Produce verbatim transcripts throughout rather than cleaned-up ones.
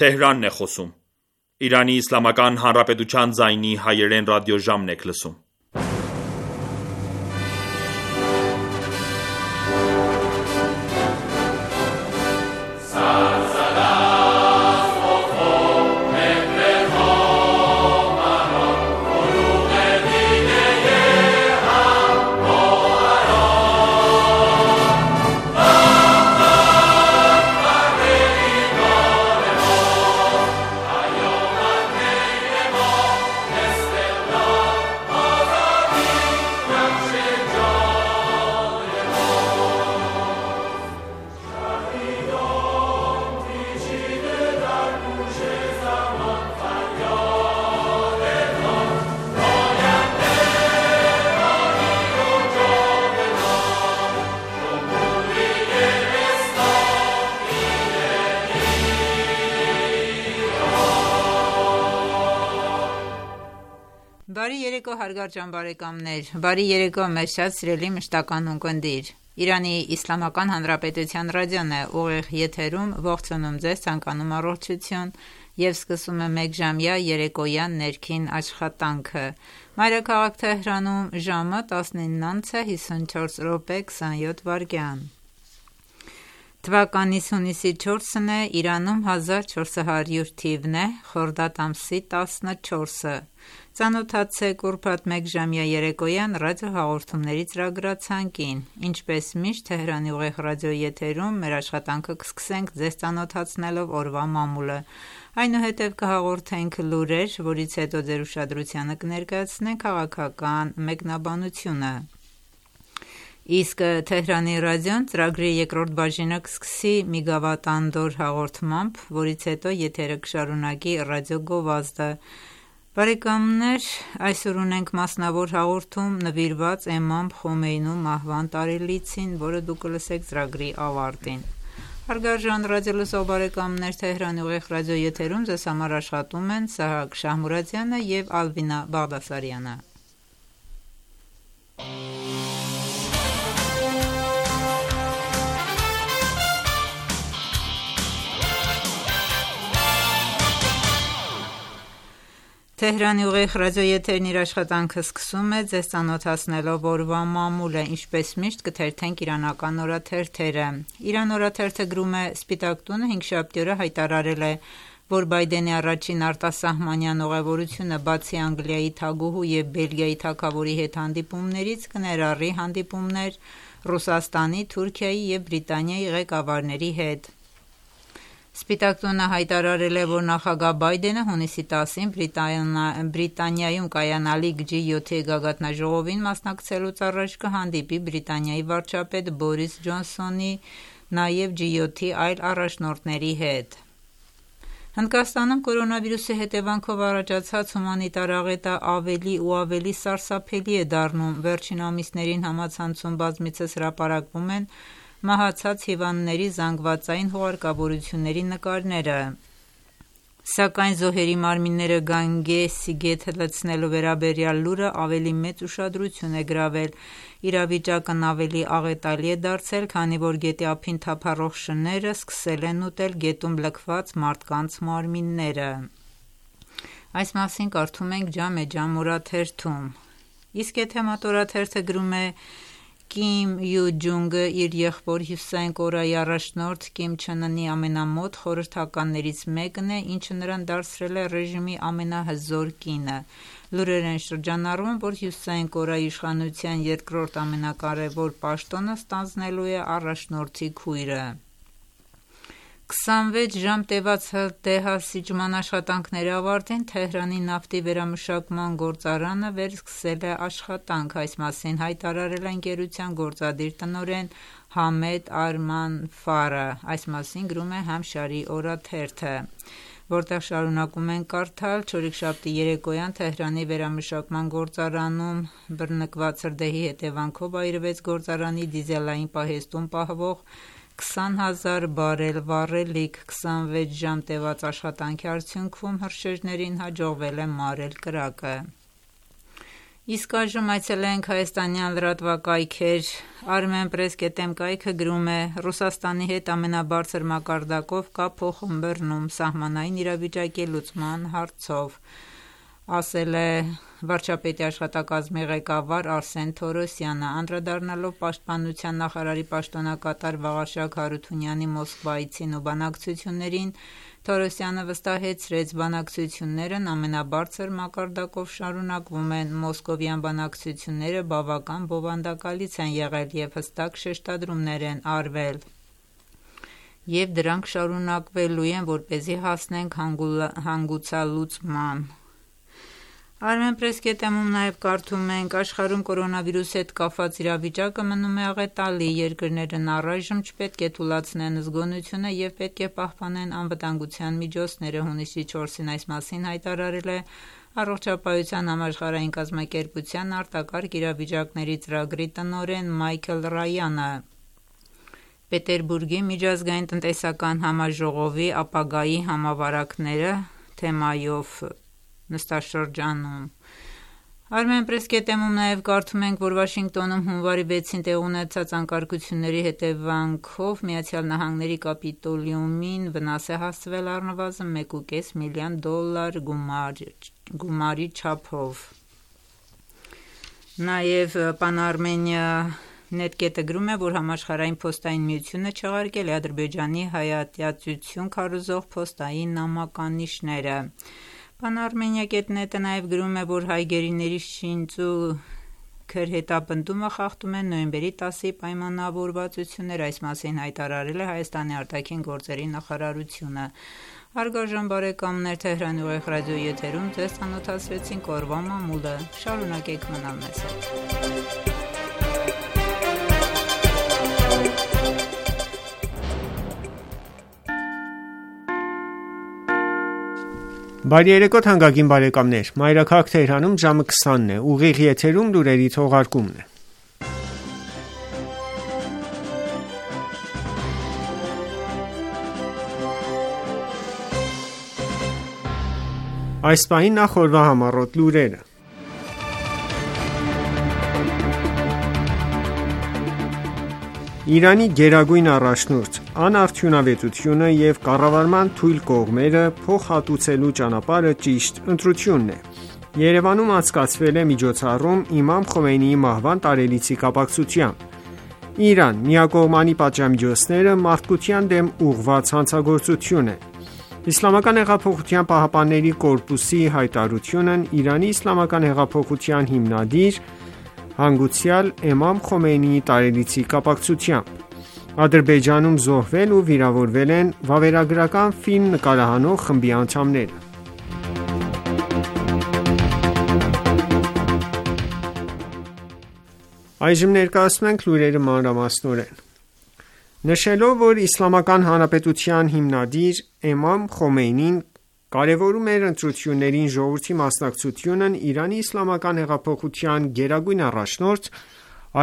Թեհրանն է խոսում։ Իրանի Իսլամական Հանրապետության ձայնի հայերեն ռադիոժամն եք լսում։ Բարի երեկո հարգարժան ճամբարեկամներ, բարի երեկո մեզ շատ սիրելի մշտական ունկնդիր։ Իրանի Իսլամական Հանրապետության ռադիոն է ուղիղ եթերում, ողջունում ձեզ, ցանկանում առողջություն եւ սկսում է մեկժամյա երեկոյան ներքին աշխատանքը։ Մայրաքաղաք Թեհրանում ժամը տասնինը հիսունչորս րոպե քսանյոթ վայրկյան։ Թվականից հունիսի չորսն է, Իրանում հազար չորս հարյուր թիվն է, խորդադ ամսի տասնչորսը։ Ծանոթացեք ուրբաթ մեկժամյա երեկոյան ռադիոհաղորդումների ծրագրացանկին։ Ինչպես միշտ Թեհրանի ուղիղ ռադիոյի եթերում մեր աշխատանքը կսկսենք ձեզ ծանոթացնելով օրվա մամուլը։ Այնուհետև կհաղորդենք լուրեր, որից հետո ձեր ուշադրությանը կներկայացնենք քաղաքական մեկնաբանությունը։ Իսկ Թեհրանի ռադիոն ծրագրի երկրորդ բաժինը կսկսի մի գավաթանդոր հաղորդմամբ, որից հետո եթերը կշարունակի ռադիո գովազդը։ Բարեկամներ, այսօր ունենք մասնավոր հաղորդում նվիրված Էմամ Խոմեյնու մահվան տարելիցին, որը դուք կլսեք ծրագրի ավարտին։ Հարգարժան ռադիոլսող բարեկամներ, Թեհրանի ուղիղ ռադիո եթերում ձեզ համար աշխատում են Սահակ Շահմուրադյանը եւ Ալվինա Բաղդասարյանը։ Թեհրանի ուղիղ ռադիոեթերն իր աշխատանքը սկսում է ձեզ ծանոթացնելով օրվա մամուլը, ինչպես միշտ կթերթենք իրանական օրաթերթերը։ Իրան օրաթերթը գրում է Սպիտակ տունը հինգշաբթի օրը հայտարարել է, որ Բայդենի առաջին արտասահմանյան ուղևորությունը բացի Անգլիայի թագուհու եւ Բելգիայի թագավորի հետ հանդիպումներից կներառի հանդիպումներ Ռուսաստանի, Թուրքիայի եւ Բրիտանիայի ղեկավարների հետ։ Սպիտակ տունը հայտարարել է, որ նախագահ Բայդենը հունիսի տասին Բրիտանիայում կայանալիք ջի յոթի գագաթնաժողովին մասնակցելուց առաջ կհանդիպի Բրիտանիայի վարչապետ Բորիս Ջոնսոնի, նաև ջի յոթի այլ առաջնորդների հետ։ Հնդկաստանում կորոնավիրուսի հետևանքով առաջացած հումանիտար աղետը ավելի ու ավելի սարսափելի է դառնում։ Վերջին ամիսներին համացանցում բազմիցս հրապարակվում են մահացած հիվանդների զանգվածային հուղարկավորությունների նկարները։ Սակայն զոհերի մարմինները Գանգեսի գետ լցնելու վերաբերյալ լուրը ավելի մեծ ուշադրություն է գրավել։ Իրավիճակն ավելի աղետալի է դարձել, քանի որ գետի ափին թափառող շները սկսել են ուտել գետում լքված մարդկանց մարմինները։ Այս մասին կարդում ենք Ջամե Ջամ օրաթերթում։ Իսկ Էթեմատ օրաթերթը գրում է. Կիմ Յու Ջունգը իր եղբոր Հյուսային Կորեայի առաջնորդ Կիմ Չեն Ընի ամենամոտ խորհրդականներից մեկն է, ինչը նրան դարձրել է ռեժիմի ամենահզոր կինը։ Լուրեր են շրջանառվում, որ Հյուսային Կորեայի իշխանության երկրորդ ամենակարևոր պաշտոնը ստանձնելու է առաջնորդի քույրը։ քսանվեց ժամ տևած դեհասիջման աշխատանքների ավարտին Թեհրանի նավթի վերամշակման գործարանը վերսկսել է աշխատանք։ Այս մասին հայտարարել է ընկերության գործադիր տնօրեն Համեդ Արման Ֆարը։ Այս մասին գրում է Համշարի օրաթերթը, որտեղ շարունակում են կարդալ. Չորեքշաբթի երեկոյան Թեհրանի վերամշակման գործարանում բռնկված հրդեհի հետևանքով այրվեց գործարանի դիզելային պահեստում պահվող քսան հազար բարել վառելիք։ քսանվեց ժամ տևած աշխատանքի արդյունքում հրշեջներին հաջողվել է մարել կրակը։ Իսկ այժմ այցելենք հայաստանյան լրատվակայքեր։ Armenpress կետ em կայքը գրում է. Ռուսաստանի հետ ամենաբարձր մակարդակով կա փոխըմբռնում սահմանային իրավիճակի լուծման հարցով, ասել է վարչապետի աշխատակազմի ղեկավար Արսեն Թորոսյանը, անդրադառնալով պաշտպանության նախարարի պաշտոնակատար Վաղարշակ Հարությունյանի Մոսկվայցին ու բանակցություններին, Թորոսյանը վստահեցրեց, բանակցություններն ամենաբարձր մակարդակով շարունակվում են, մոսկովյան բանակցությունները բավական բովանդակալից են եղել և հստակ շեշտադրումներ են արվել, և դրանք շարունակվելու են, որպեսզի հասնենք հանգուցալուծման։ Armenpress կետ em-ում նաև կարդում ենք. աշխարհում կորոնավիրուսի հետ կապված իրավիճակը մնում է աղետալի, երկրներն առայժմ չպետք է թուլացնեն զգոնությունը և պետք է պահպանեն անվտանգության միջոցները, հունիսի չորսին այս մասին հայտարարել է Առողջապահության համաշխարհային կազմակերպության արտակարգ իրավիճակների ծրագրի տնօրեն Մայքլ Ռայանը։ Պետերբուրգի միջազգային տնտեսական համաժողովի ապագայի համավարակները թեմայով նստաշրջանում։ Armenpress կետ em-ում նաև կարդում ենք, որ Վաշինգտոնում հունվարի վեցին տեղի ունեցած անկարգությունների հետևանքով Միացյալ Նահանգների Կապիտոլիումին վնաս է հասցվել առնվազն մեկ ու կես միլիոն դոլար գումարի չափով։ Նաև Pan-Armenia net կետը գրում է, որ համաշխարհային փոստային միությունը չեղարկել է Ադրբեջանի հայատյացություն քարոզող փոստային նամականիշները։ Pan-Armenia կետ net-ը նաև գրում է, որ հայ գերիների շինծ ու քրհետապնդումը խախտում են նոյեմբերի տասի պայմանավորվածությունները, այս մասին հայտարարել է Հայաստանի արտաքին գործերի նախարարությունը։ Հարգարժան բարեկամներ, Թեհրանի ուղիղ ռադիոյի եթերում ձեզ ծանոթացրեցինք օրվա մամուլը։ Շարունակեք մնալ մեզ հետ։ Բարի երեկո թանկագին բարեկամներ, Մայրաքաղաք Թեհրանում ժամը քսանն է, ուղիղ եթերում լուրերի թողարկումն է։ Այս պահին նախ օրվա համառոտ լուրերը։ Իրանի գերագույն առաջնորդ անարդյունավետությունը և կառավարման թույլ կողմերը փոխհատուցելու ճանապարհը ճիշտ ընտրությունն է։ Երևանում անցկացվել է միջոցառում Իմամ Խոմեյնիի մահվան տարելիցի կապակցությամբ։ Իրան միակողմանի պատժամիջոցները մարդկության դեմ ուղղված հանցագործություն են։ Իսլամական հեղափոխության պահապանների կորպուսի հայտարարությունն Իրանի իսլամական հեղափոխության հիմնադիր հանգուցյալ Իմամ Խոմեյնիի տարելիցի կապակցությամբ։ Ադրբեջանում զոհվել ու վիրավորվել են վավերագրական ֆիլմ նկարահանող խմբի անդամները։ Այժմ ներկայացնում ենք լուրերը մանրամասնորեն։ Նշելով, որ Իսլամական Հանրապետության հիմնադիր Իմամ Խոմեյնին կարևորում էր ընտրություններին ժողովրդի մասնակցությունն, Իրանի իսլամական հեղափոխության գերագույն առաջնորդ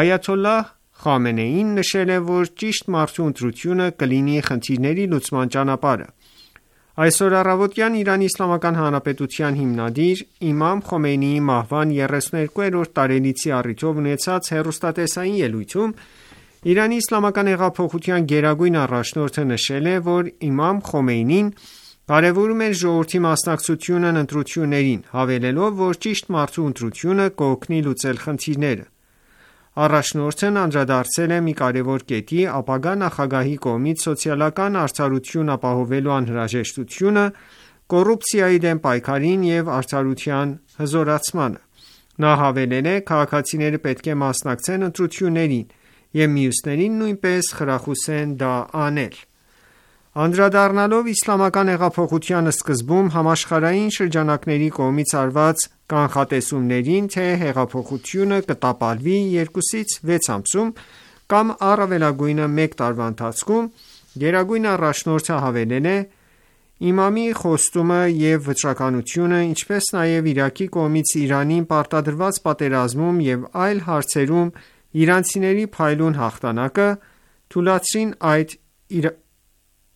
Այաթոլլահ Խամենեին նշել է, որ ճիշտ մարդու ընտրությունը կլինի խնդիրների լուծման ճանապարհը։ Այսօր առավոտյան Իրանի Իսլամական Հանրապետության հիմնադիր Իմամ Խոմեյնիի մահվան երեսուներկուերորդ տարելիցի առիթով ունեցած հեռուստատեսային ելույթում Իրանի Իսլամական հեղափոխության գերագույն առաջնորդը նշել է, որ Իմամ Խոմեյնին կարևորում էր ժողովրդի մասնակցությունն ընտրություններին, հավելելով, որ ճիշտ մարդու ընտրությունը կօգնի լուծել խնդիրները։ Առաջնորդն անդրադարձել է մի կարևոր կետի՝ ապագա նախագահի կողմից սոցիալական արդարություն ապահովելու անհրաժեշտությունը, կոռուպցիայի դեմ պայքարին և արդարության հզորացմանը։ Նա հավելել է. «Քաղաքացիները պետք է մասնակցեն ընտրություններին և մյուսներին նույնպես խրախուսեն դա անել»։ Անդրադառնալով իսլամական հեղափոխության սկզբում համաշխարհային շրջանակների կողմից արված կանխատեսումներին, թե հեղափոխությունը կտապալվի երկուսից վեց ամսում կամ առավելագույնը մեկ տարվա ընթացքում, գերագույն առաջնորդը հավելել է. «Իմամի խոստումը և վճռականությունը, ինչպես նաև Իրաքի կողմից Իրանին պարտադրված պատերազմում և այլ հարցերում իրանցիների փայլուն հաղթանակը, թուլացրին այդ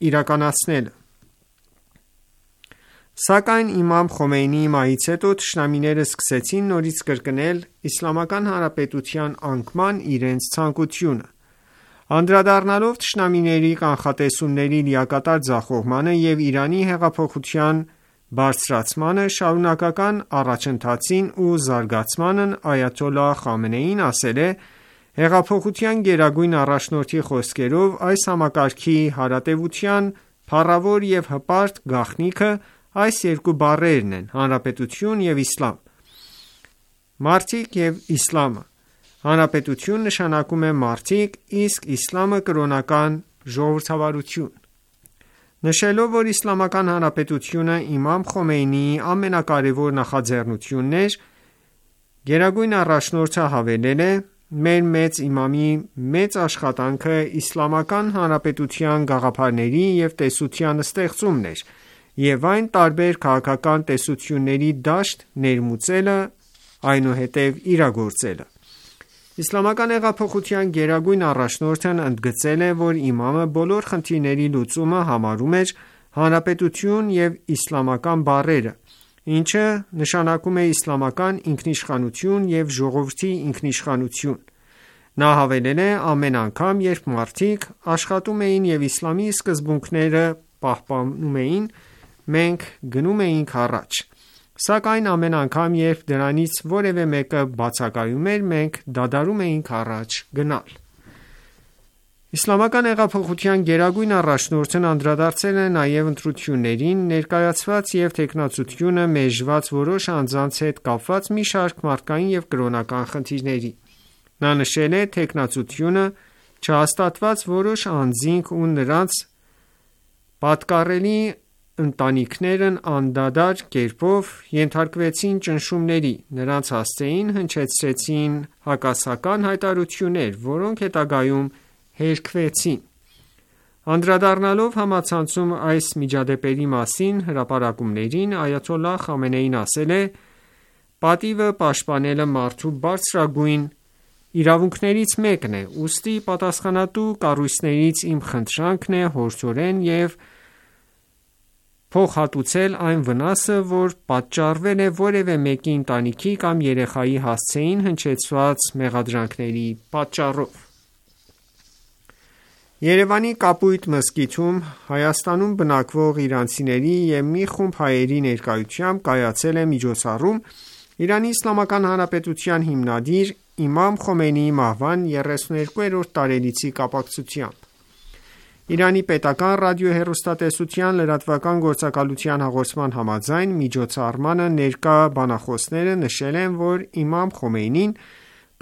իրականացնելը»։ Սակայն իմամ Խոմեյնիի մահից հետո թշնամիները սկսեցին նորից կրկնել Իսլամական Հանրապետության անկման իրենց ցանկությունը։ Անդրադառնալով թշնամիների կանխատեսումների լիակատար ձախողմանը և Իրանի հեղափոխության բարձրացմանը, շարունակական առաջընթացին ու զարգացմանն, այաթոլլահ Խամենեին ասել է. «Հեղափոխության գերագույն առաջնորդի խոսքերով, այս համակարգի հարատևության փառավոր և հպարտ գաղտնիքը այս երկու բառերն են՝ հանրապետություն և իսլամ։ Մարդիկ և իսլամը։ Հանրապետություն նշանակում է մարդիկ, իսկ իսլամը կրոնական ժողովրդավարություն»։ Նշելով, որ Իսլամական Հանրապետությունը իմամ Խոմեյնիի ամենակարևոր նախաձեռնությունն էր, Գերագույն առաջնորդը հավելել է. «Մեր մեծ իմամի մեծ աշխատանքը Իսլամական Հանրապետության գաղափարների և տեսության ստեղծումն էր և այն տարբեր քաղաքական տեսությունների դաշտ ներմուծելը, այնուհետև իրագործելը»։ Իսլամական հեղափոխության գերագույն առաջնորդն ընդգծել է, որ իմամը բոլոր խնդիրների լուծումը համարում էր հանրապետություն և իսլամական բառերը, ինչը նշանակում է իսլամական ինքնիշխանություն և ժողովրդի ինքնիշխանություն։ Նա հավելել է. «Ամեն անգամ, երբ մարդիկ աշխատում էին և իսլամի սկզբունքները պահպանում էին, մենք գնում էինք առաջ։ Սակայն ամեն անգամ, երբ դրանից որևէ մեկը բացակայում էր, մենք դադարում էինք առաջ գնալ»։ Իսլամական հեղափոխության գերագույն առաջնորդն անդրադարձել է նաև ընտրություններին ներկայացված և թեկնածությունը մերժված որոշ անձանց հետ կապված մի շարք մարդկային և կրոնական խնդիրների։ Նա նշել է. «Թեկնածությունը չհաստատված որոշ անձինք ու նրանց պատկառելի ընտանիքներն անդադար կերպով ենթարկվեցին ճնշումների, նրանց հասցեին, հնչեցրեցին հակասական հայտարարություններ, որոնք հետագայում հերքվեցին»։ Անդրադառնալով համացանցում այս միջադեպերի մասին հրապարակումներին, այաթոլլահ Խամենեին ասել է. «Պատիվը պաշտպանելը մարդու բարձրագույն իրավունքներից մեկն է, ուստի պատասխանատու կառույցներից իմ խնդրանքն է հորդորել և փոխհատուցել այն վնասը, որ պատճառվել է որևէ մեկի ընտանիքի կամ երեխայի հասցեին հնչեցված մեղադրանքների պատճառով»։ Երևանի Կապույտ մզկիթում Հայաստանում բնակվող իրանցիների և մի խումբ հայերի ներկայությամբ կայացել է միջոցառում Իրանի Իսլամական Հանրապետության հիմնադիր իմամ Խոմեյնիի մահվան եռեսուներկուերորդ տարելիցի կապակցությամբ։ Իրանի պետական ռադիոհեռուստատեսության լրատվական գործակալության հաղորդման համաձայն, միջոցառմանը ներկա բանախոսները նշել են, որ իմամ Խոմեյնին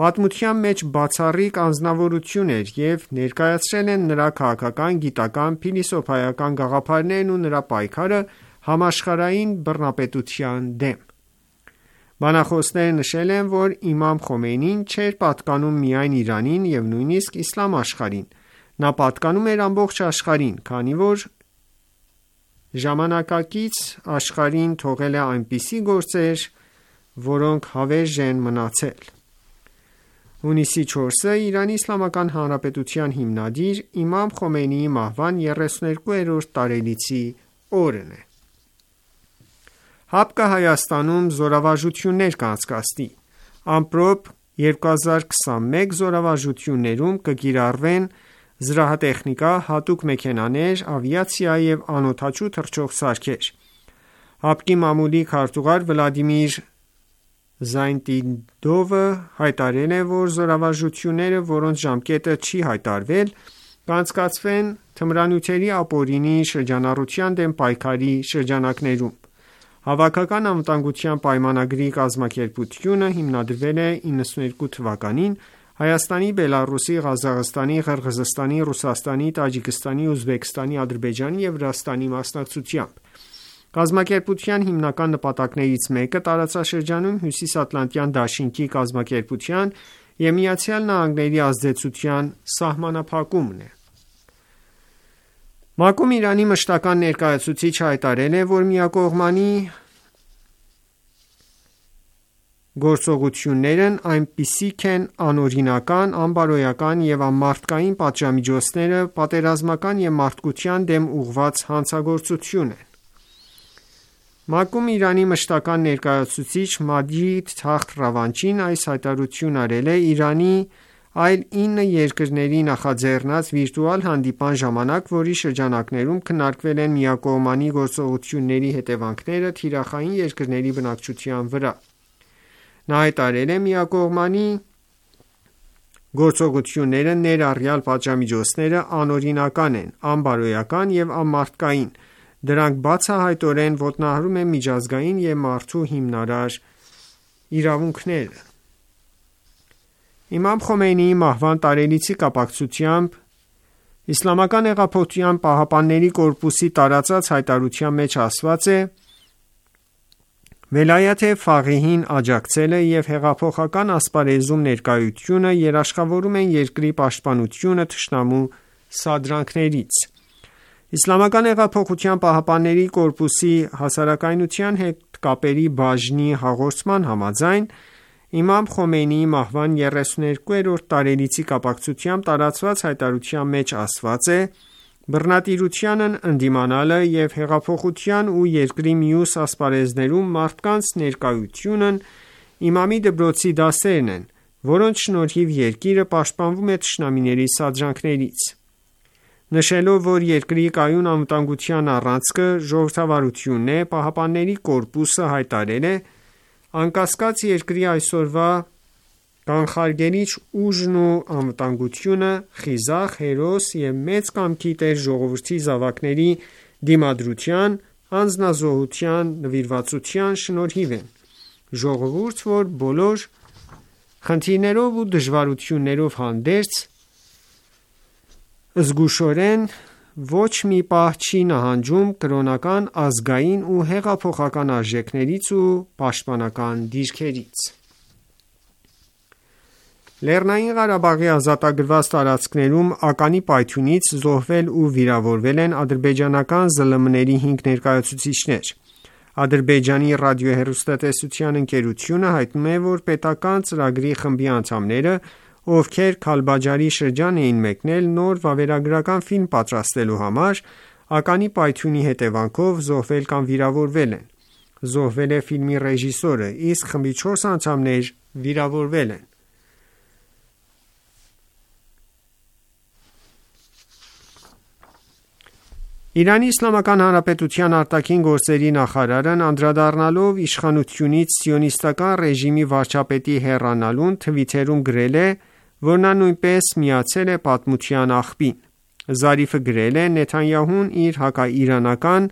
պատմության մեջ բացառիկ անձնավորություն էր և ներկայացրել են նրա քաղաքական, գիտական, փիլիսոփայական գաղափարներն ու նրա պայքարը համաշխարհային բռնապետության դեմ։ Բանախոսները նշել են, որ իմամ Խոմեյնին չէր պատկանում միայն Իրանին և նույնիսկ իսլամ աշխարհին, նա պատկանում էր ամբողջ աշխարհին, քանի որ ժամանակակից աշխարհին թողել է այնպիսի գործեր, որոնք հավերժ են մնացել։ Հունիսի չորսը Իրանի Իսլամական Հանրապետության հիմնադիր իմամ Խոմեյնիի մահվան եռեսուներկուերորդ տարելիցի օրն է։ ՀԱՊԿ-ը Հայաստանում զորավարժություններ կանցկացնի։ Ամպրոպ երկու հազար քսանմեկ զորավարժություններում կկիրառվեն զրահատեխնիկա, հատուկ մեքենաներ, ավիացիա և անօդաչու թռչող սարքեր։ ՀԱՊԿ-ի մամուլի քարտուղար Վլադիմիր Զայնտիդովը հայտարարել է, որ զորավարժությունները, որոնց ժամկետը չի հայտարարվել, կանցկացվեն թմրանյութերի ապօրինի շրջանառության դեմ պայքարի շրջանակներում։ Հավաքական անվտանգության պայմանագրի կազմակերպությունը հիմնադրվել է իննսունյոթ թվականին Հայաստանի, Բելառուսի, Ղազախստանի, Ղրղզստանի, Ռուսաստանի, Տաջիկստանի, Ուզբեկստանի, Ադրբեջանի և Վրաստանի մասնակցությամբ։ Կազմակերպության հիմնական նպատակներից մեկը տարածաշրջանում Հյուսիսատլանտյան դաշինքի կազմակերպության և Միացյալ Նահանգների ազդեցության սահմանափակումն է։ ՄԱԿ-ում Իրանի մշտական ներկայացուցիչը հայտարարել է, որ միակողմանի գործողություններն այնպիսիք են անօրինական, անբարոյական և անմարդկային պատժամիջոցները պատերազմական և մարդկության դեմ ուղղված հանցագործություն են։ ՄԱԿ-ում Իրանի մշտական ներկայացուցիչ Մաջիդ Թախթ Ռավանչին այս հայտարարությունն արել է Իրանի այլ ինը երկրների նախաձեռնած վիրտուալ հանդիպման ժամանակ, որի շրջանակներում քննարկվել են միակողմանի գործողությունների հետևանքները թիրախային երկրների բնակչության վրա: Նա հայտարարել է. «Միակողմանի գործողությունները, ներառյալ պատժամիջոցները, անօրինական են, անբարոյական և անմարդկային: Դրանք բացահայտորեն ոտնահարում են միջազգային և մարդու հիմնարար իրավունքները»: Իմամ Խոմեյնիի մահվան տարելիցի կապակցությամբ ԻՀՊԿ-ի տարածած հայտարարության մեջ ասված է. «Վելայաթ Ֆաղիհին աջակցելը և հեղափոխական ասպարեզում ներկայությունը երաշխավորում են երկրի պաշտպանությունը թշնամու սադրանքներից»: ԻՀՊԿ-ի հասարակայնության հետ կապերի բաժնի հաղորդման համաձայն, իմամ Խոմեյնիի մահվան երեսուներկուերորդ տարելիցի կապակցությամբ տարածված հայտարարության մեջ ասված է. «Բռնատիրությանն ընդդիմանալը և հեղափոխության ու երկրի մյուս ասպարեզներում մարդկանց ներկայությունն իմամի դպրոցի դասերն են, որոնց շնորհիվ երկիրը պաշտպանվում է թշնամիների սադրանքներից»: Նշելով, որ երկրի կայուն անվտանգության առանցքը ժողովրդավարությունն է, ԻՀՊԿ-ը հայտարարել է. «Անկասկած, երկրի այսօրվա կանխարգելիչ ուժն ու անվտանգությունը խիզախ, հերոս և մեծ կամքի տեր ժողովրդի զավակների դիմադրության, անձնազոհության, նվիրվածության շնորհիվ են: Ժողովուրդ, որ բոլոր խնդիրներով ու դժվարություններով հանդերձ, զգուշորեն ոչ մի պահ չի նահանջում կրոնական, ազգային ու հեղափոխական արժեքներից ու պաշտպանական դիրքերից»: Լեռնային Ղարաբաղի ազատագրված տարածքներում ականի պայթյունից զոհվել ու վիրավորվել են ադրբեջանական ԶԼՄ-ների հինգ ներկայացուցիչներ: Ադրբեջանի ռադիոհեռուստատեսության ընկերությունը հայտնում է, որ պետական ծրագրի խմբի անդամները, ովքեր Քալբաջարի շրջան էին մեկնել նոր վավերագրական ֆիլմ պատրաստելու համար, ականի պայթյունի հետևանքով զոհվել կամ վիրավորվել են: Զոհվել է ֆիլմի ռեժիսորը, իսկ խմբի չորս անդամներ վիրավորվել են: ԻԻՀ արտաքին գործերի նախարարն անդրադառնալով իշխանությունից սիոնիստական ռեժիմի վարչապետի հեռանալուն, թվիթերում գրել է, որ նա նույնպես միացել է պատմության աղբին: Զարիֆը գրել է. «Նեթանյահուն իր հակաիրանական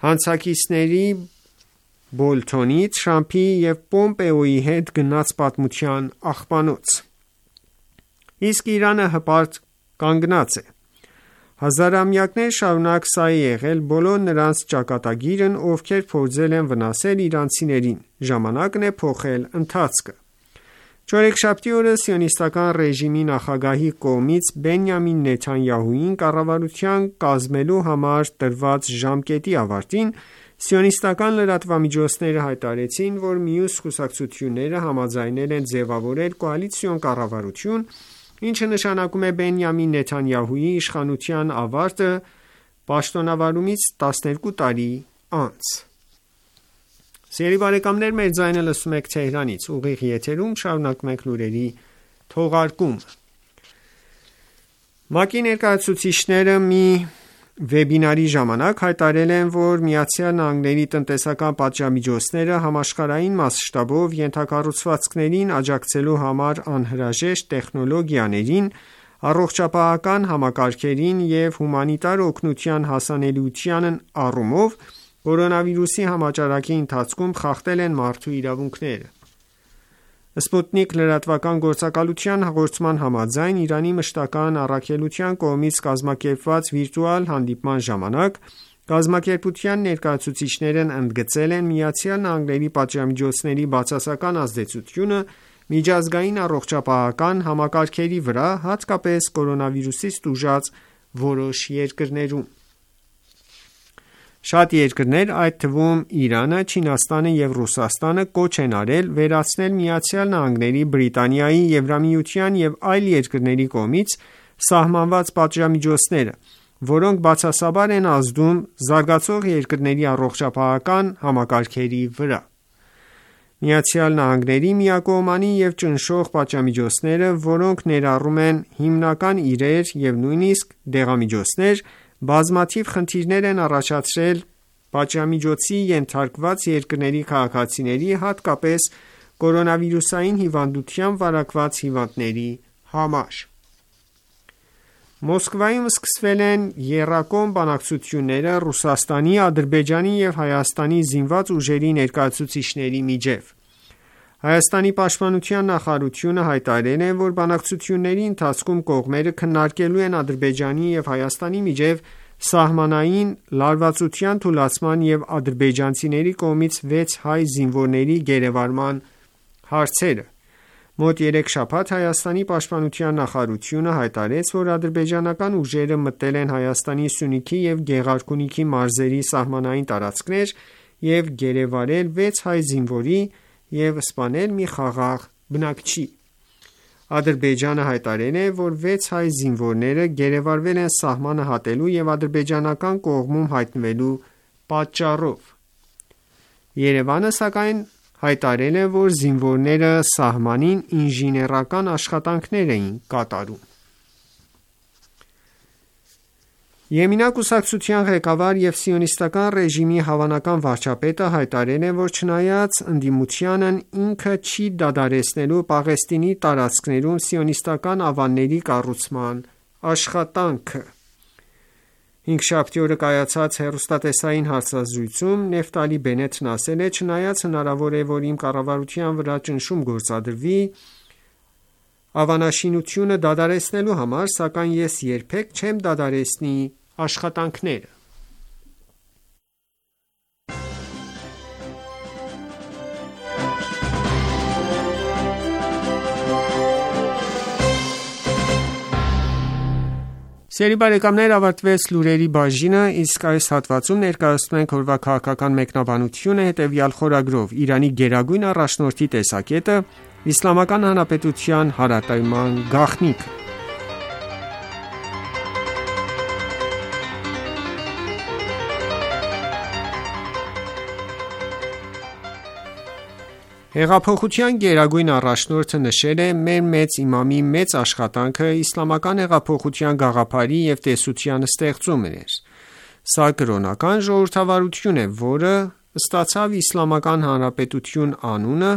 հանցակիցների Բոլթոնի, Թրամփի և Պոմպեոյի հետ գնաց պատմության աղբանոց: Իսկ Իրանը հպարտ կանգնած է: Հազարամյակներ շարունակ սա է եղել բոլոր նրանց ճակատագիրն, ովքեր փորձել են վնասել իրանցիներին: Ժամանակն է փոխել ընթացքը»: Չորեքշաբթի օրը Սիոնիստական ռեժիմի նախագահի կողմից Բենյամին Նեթանյահուին կառավարություն կազմելու համար տրված ժամկետի ավարտին, սիոնիստական լրատվամիջոցները հայտարարեցին, որ մյուս կուսակցությունները համաձայնել են ձևավորել կոալիցիոն կառավարություն, ինչը նշանակում է Բենյամին Նեթանյահուի իշխանության ավարտը պաշտոնավարումից տասներկու տարի անց: ՄԱԿ-ի ներկայացուցիչները մի վեբինարի ժամանակ հայտարարել են, որ ԱՄՆ-ի տնտեսական պատժամիջոցները համաշխարհային մասշտաբով ենթակառուցվածքներին աջակցելու համար անհրաժեշտ տեխնոլոգիաներին, առողջապահական համակարգերին և հումանիտար օգնության հասանելիության առումով կորոնավիրուսի համաճարակի ընթացքում խախտել են մարդու իրավունքները: Սպուտնիկ լրատվական գործակալության հաղորդման համաձայն, Իրանի մշտական առաքելության կողմից կազմակերպված վիրտուալ հանդիպման ժամանակ, կազմակերպության ներկայացուցիչներն ընդգծել են ԱՄՆ-ի պատժամիջոցների բացասական ազդեցությունը միջազգային առողջապահական համակարգերի վրա, հատկապես կորոնավիրուսից տուժած որոշ երկրներում: Շատ երկրներ, այդ թվում Իրանը, Չինաստանը և Ռուսաստանը կոչ են արել վերացնել ԱՄՆ-ի, Բրիտանիայի, Եվրամիության և այլ երկրների կողմից սահմանված պատժամիջոցները, որոնք բացասաբար են ազդում զարգացող երկրների առողջապահական համակարգերի վրա: ԱՄՆ-ի միակողմանի և ճնշող պատժամիջոցները, որոնք ներառում են հիմնական իրեր և նույնիսկ դեղամիջոցներ, բազմաթիվ խնդիրներ են առաջացրել պատժամիջոցի ենթարկված երկրների քաղաքացիների, հատկապես կորոնավիրուսային հիվանդությամբ վարակված հիվանդների համար: Մոսկվայում սկսվել են եռակողմ բանակցությունները Ռուսաստանի, Ադրբեջանի և Հայաստանի զինված ուժերի ներկայացուցիչների միջև: Հայաստանի պաշտպանության նախարարությունը հայտարարել է, որ բանակցությունների ընթացքում կողմերը քննարկելու են Ադրբեջանի և Հայաստանի միջև սահմանային լարվածության թուլացման և ադրբեջանցիների կողմից վեց հայ զինվորների գերեվարման հարցերը: Մոտ երեք շաբաթ Հայաստանի պաշտպանության նախարարությունը հայտարարեց, որ ադրբեջանական ուժերը մտել են Հայաստանի Սյունիքի և Գեղարքունիքի մարզերի սահմանային տարածքներ և գերեվարել վեց հայ զինվորի և սպանել մի խաղաղ բնակչի: Ադրբեջանը հայտարարել է, որ վեց հայ զինվորները գերեվարվել են սահմանը հատելու և ադրբեջանական կողմում հայտնվելու պատճառով: Երևանը, սակայն, հայտարարել է, որ զինվորները սահմանին ինժեներական աշխատանքներ էին կատարում: Եմինա կուսակցության ղեկավար և սիոնիստական ռեժիմի հավանական վարչապետը հայտարարել է, որ չնայած ընդդիմությանն ինքը չի դադարեցնելու Պաղեստինի տարածքներում սիոնիստական ավանների կառուցման աշխատանքը: Հինգշաբթի օրը կայացած հեռուստատեսային հարցազրույցում Նեֆտալի Բենետն ասել է. «Չնայած հնարավոր է, որ իմ կառավարության վրա ճնշում գործադրվի ավանաշինությունը դադարեցնելու համար, սակայն ես երբեք չեմ դադարեցնի աշխատանքները»: Ավարտվեց լուրերի բաժինը, իսկ այս հատվածում ներկայացնում ենք օրվա քաղաքական մեկնաբանությունը հետևյալ խորագրով. Իրանի գերագույն առաջնորդի տեսակետը Իսլամական Հանրապետության հարատևման գաղտնիքը: Հեղափոխության գերագույն առաջնորդը նշել է. «Մեր մեծ իմամի մեծ աշխատանքը իսլամական հեղափոխության գաղափարի և տեսության ստեղծումն էր: Սա կրոնական ժողովրդավարություն է, որը ստացավ Իսլամական Հանրապետություն անունը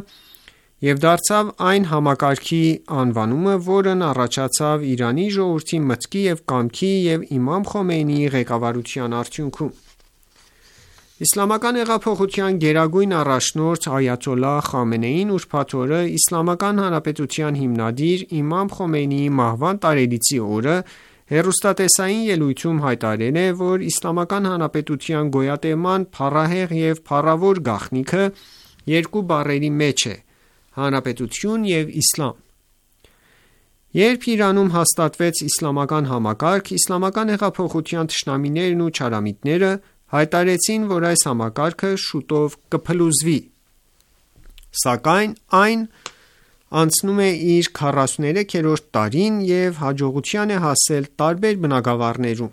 և դարձավ այն համակարգի անվանումը, որն առաջացավ Իրանի ժողովրդի մտքի և կամքի և իմամ Խոմեյնիի ղեկավարության արդյունքում: Իսլամական հեղափոխության գերագույն առաջնորդ Այաթոլլահ Խամենեին ուրբաթ օրը Իսլամական Հանրապետության հիմնադիր իմամ Խոմեյնիի մահվան տարելիցի օրը հեռուստատեսային ելույթում հայտարարել է, որ Իսլամական Հանրապետության գոյատևման փառահեղ և փառավոր գաղտնիքը երկու բառերի մեջ է՝ հանրապետություն և իսլամ: Երբ Իրանում հաստատվեց իսլամական համակարգ, իսլամական հեղափոխության թշնամիներն ու չարամիտները հայտարարեցին, որ այս համակարգը շուտով կփլուզվի: Սակայն այն անցնում է իր քառասուներեքերորդ տարին և հաջողության է հասել տարբեր բնագավառներում: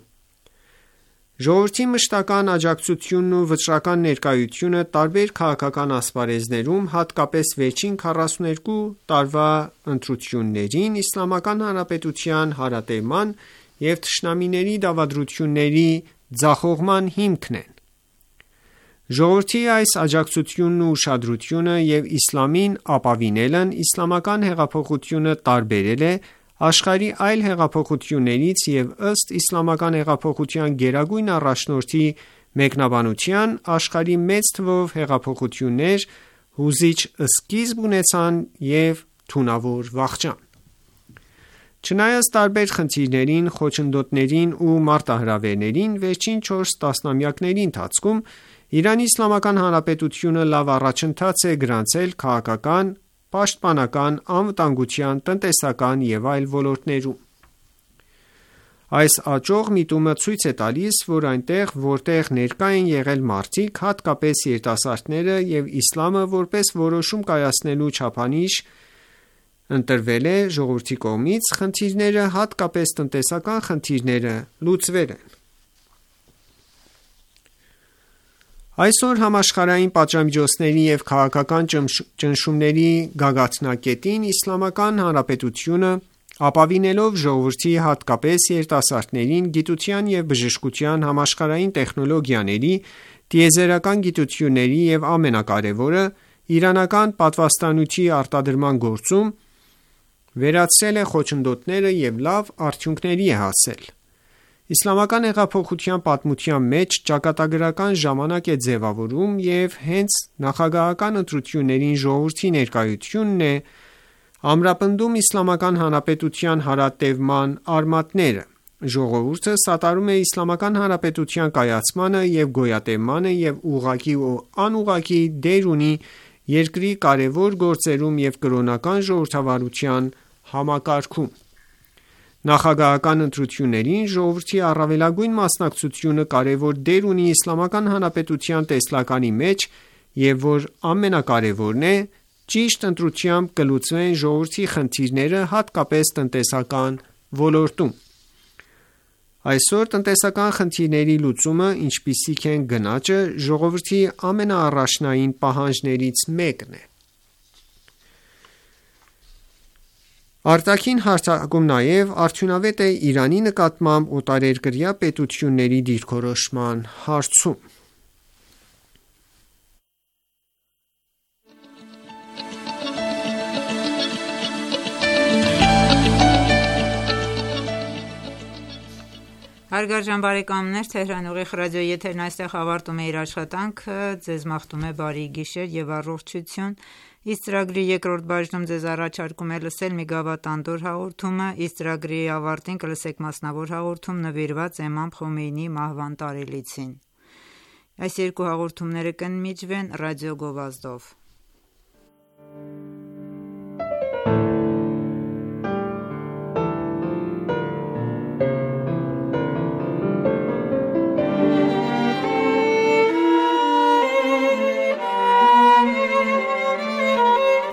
Ժողովրդի մշտական աջակցությունն ու վճռական ներկայությունը տարբեր քաղաքական ասպարեզներում, հատկապես վերջին քառասուներկու տարվա ընտրություններին, Իսլամական Հանրապետության հարատևման և թշնամիների դավադրությունների ձախողման հիմքն են: Ժողովրդի այս աջակցությունն ու ուշադրությունը և իսլամին ապավինելն իսլամական հեղափոխությունը տարբերել է աշխարհի այլ հեղափոխություններից և ըստ իսլամական հեղափոխության գերագույն առաջնորդի մեկնաբանության, աշխարհի մեծ թվով հեղափոխություններ հուզիչ սկիզբ ունեցան և թունավոր վախճան: Չնայած տարբեր խնդիրներին, խոչընդոտներին ու մարտահրավերներին, վերջին չորս տասնամյակների ընթացքում Իրանի Իսլամական Հանրապետությունը լավ առաջընթաց է գրանցել քաղաքական, պաշտպանական, անվտանգության, տնտեսական և այլ ոլորտներում: Այս աճող միտումը ցույց է տալիս, որ այնտեղ, որտեղ ներկա են եղել մարդիկ, հատկապես երիտասարդները, և իսլամը որպես որոշում կայացնելու չափանիշ ընտրվել է ժողովրդի կողմից, խնդիրները, հատկապես տնտեսական խնդիրները լուծվել են: Այսօր համաշխարհային պատժամիջոցների և քաղաքական ճնշումների գագաթնակետին Իսլամական Հանրապետությունը, ապավինելով ժողովրդի, հատկապես երիտասարդներին, գիտության և բժշկության, համաշխարհային տեխնոլոգիաների, տիեզերական գիտությունների և ամենակարևորը՝ իրանական պատվաստանյութի արտադրման գործում, վերացրել է խոչընդոտները և լավ արդյունքների է հասել: Իսլամական հեղափոխության պատմության մեջ ճակատագրական ժամանակ է ձևավորվում և հենց նախագահական ընտրություններին ժողովրդի ներկայությունն է ամրապնդում Իսլամական Հանրապետության հարատևման արմատները: Ժողովուրդը սատարում է Իսլամական Հանրապետության կայացմանը և գոյատևմանը և ուղղակի ու անուղղակի դեր ունի երկրի կարևոր գործերում և կրոնական ժողովրդավարության համակարգում: Նախագահական ընտրություններին ժողովրդի առավելագույն մասնակցությունը կարևոր դեր ունի Իսլամական Հանրապետության տեսլականի մեջ և որ ամենակարևորն է, ճիշտ ընտրությամբ կլուծվեն ժողովրդի խնդիրները, հատկապես տնտեսական ոլորտում: Այսօր տնտեսական խնդիրների լուծումը, ինչպիսիք են գնաճը, ժողովրդի ամենաառաջնային պահանջներից մեկն է: Արտաքին հարթակում նաև արդյունավետ է Իրանի նկատմամբ օտարերկրյա պետությունների դիրքորոշման հարցում: Հարգարժան բարեկամներ, Թեհրան ուղիղ ռադիոյի եթերն այստեղ ավարտում է իր աշխատանքը: Ձեզ մաղթում է բարի գիշեր և առողջություն: Իսկ ծրագրի երկրորդ բաժնում ձեզ առաջարկում է լսել մի գավաթ անդորր հաղորդումը: Իսկ ծրագրի ավարտին կլսեք մասնավոր հաղորդում նվիրված Էմամ Խոմեյնիի մահվան տարելիցին: Այս երկու հաղորդումները կընդմիջվեն ռադիո գովազդով: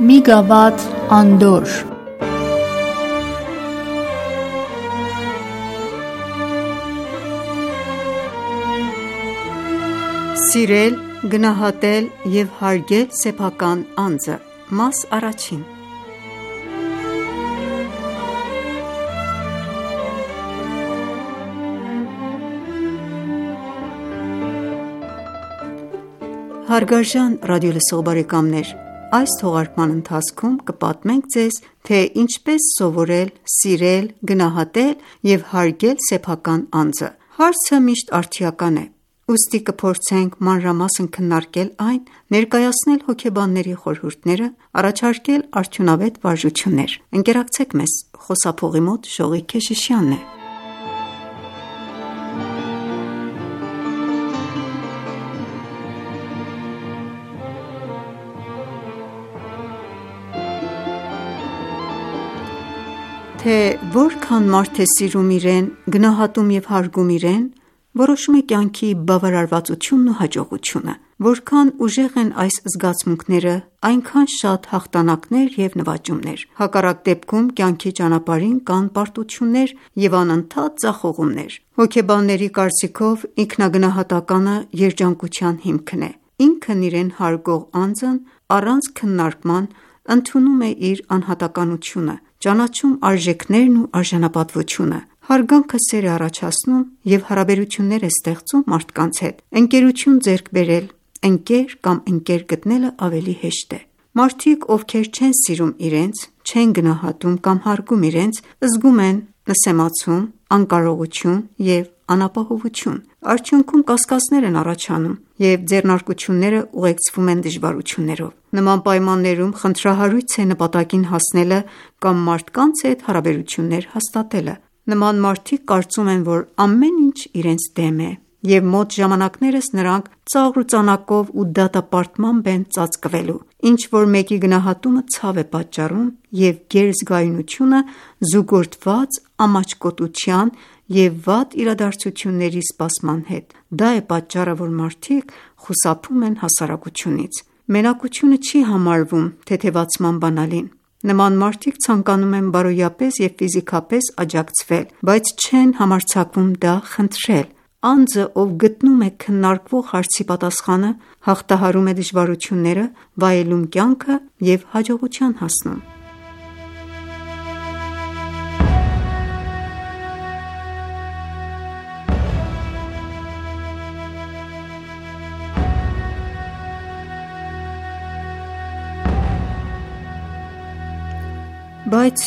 Մի գավաթ անդորր Սիրել, գնահատել և հարգել սեփական անձը: Մաս առաջին Հարգարժան ռադիոլսող բարեկամներ, այս թողարկման ընթացքում կպատմենք ձեզ, թե ինչպես սովորել սիրել, գնահատել և հարգել սեփական անձը: Հարցը միշտ արդիական է, ուստի կփորձենք մանրամասն քննարկել այն, ներկայացնել հոգեբանների խորհուրդները, առաջարկել արդյունավետ վարժություններ: Ընկերակցեք մեզ: Խոսափողի մոտ Շողիկ Քեշիշյանն է: Թե որքան մարդ է սիրում իրեն, գնահատում և հարգում իրեն, որոշում է կյանքի բավարարվածությունն ու հաջողությունը: Որքան ուժեղ են այս զգացմունքները, այնքան շատ հաղթանակներ և նվաճումներ: Հակառակ դեպքում կյանքի ճանապարհին կան պարտություններ և անընդհատ ձախողումներ: Հոգեբանների կարծիքով ինքնագնահատականը երջանկության հիմքն է: Ինքն իրեն հարգող անձն առանց քննարկման ընդունում է իր անհատականությունը, ճանաչում արժեքներն ու արժանապատվությունը: Հարգանքը սեր է առաջացնում և հարաբերություններ է ստեղծում մարդկանց հետ: Ընկերություն ձեռք բերել, ընկեր կամ ընկեր գտնելը ավելի հեշտ է: Մարդիկ, ովքեր չեն սիրում իրենց, չեն գնահատում կամ հարգում իրենց, զգում են նսեմացում, անկարողություն և անապահովություն: Արդյունքում կասկածներ են առաջանում և ձեռնարկությունները ուղեկցվում են դժվարություններով: Նման պայմաններում խնդրահարույց է նպատակին հասնելը կամ մարդկանց հետ հարաբերություններ հաստատելը: Նման մարդիկ կարծում են, որ ամեն ինչ իրենց դեմ է և մոտ ժամանակներս նրանք ծաղր ու ծանակով ու դատապարտմամբ են ծածկվելու: Ինչ-որ մեկի գնահատումը ցավ է պատճառում և գերզգայունությունը զուգորդված ամաչկոտության և վատ իրադարձությունների սպասման հետ: Դա է պատճառը, որ մարդիկ խուսափում են հասարակությունից: Մենակությունը չի համարվում թեթևացման բանալին: Նման մարդիկ ցանկանում են բարոյապես և ֆիզիկապես աջակցվել, բայց չեն համարձակվում դա խնդրել: Անձը, ով գտնում է քննարկվող հարցի պատասխանը, հաղթահարում է դժվարությունները, վայելում կյանքը և հաջողության հասնում։ Բայց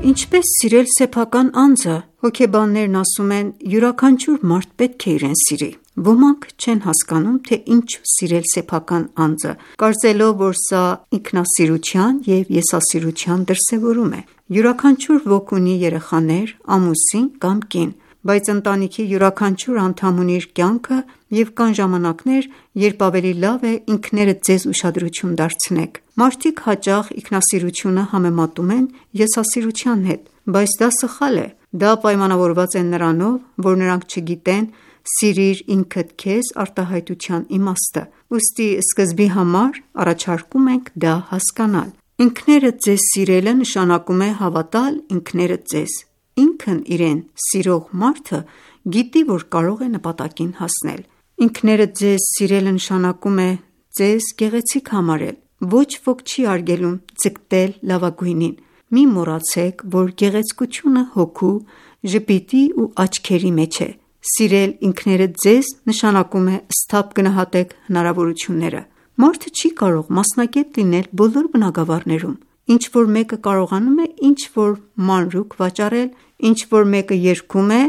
ինչպես սիրել սեփական անձը։ Հոգեբաններն ասում են, յուրաքանչյուր մարդ պետք է իրեն սիրի։ Ոմանք չեն հասկանում, թե ինչու սիրել սեփական անձը, կարծելով, որ սա ինքնասիրության և եսասիրության դրսևորում է։ Յուրաքանչյուր ոք ունի երեխաներ, ամուսին կամ կին, բայց ընտանիքի յուրաքանչյուր անդամ ունի իր կյանքը և կան ժամանակներ, երբ ավելի լավ է ինքներդ ձեզ ուշադրություն դարձնեք։ Մարդիկ հաճախ ինքնասիրությունը համեմատում են եսասիրության հետ, բայց դա սխալ է։ Դա պայմանավորված է նրանով, որ նրանք չգիտեն «սիրիր ինքդ քեզ» արտահայտության իմաստը։ Ուստի սկզբի համար առաջարկում ենք դա հասկանալ։ Ինքներդ ձեզ սիրելը նշանակում է հավատալ ինքներդ ձեզ։ Ինքն իրեն սիրող մարդը գիտի, որ կարող է նպատակին հասնել։ Ինքներդ ձեզ սիրելը նշանակում է ձեզ գեղեցիկ համարել։ Ոչ ոք չի արգելում ձգտել լավագույնին։ Մի մոռացեք, որ գեղեցկությունը հոգու, ժպիտի ու աչքերի մեջ է։ Սիրել ինքներդ ձեզ նշանակում է սթափ գնահատեք հնարավորությունները։ Մարդը չի կարող մասնագետ լինել բոլոր բնագավառներում։ Ինչ-որ մեկը կարողանում է ինչ-որ մանրուք վաճառել, ինչ-որ մեկը երգում է,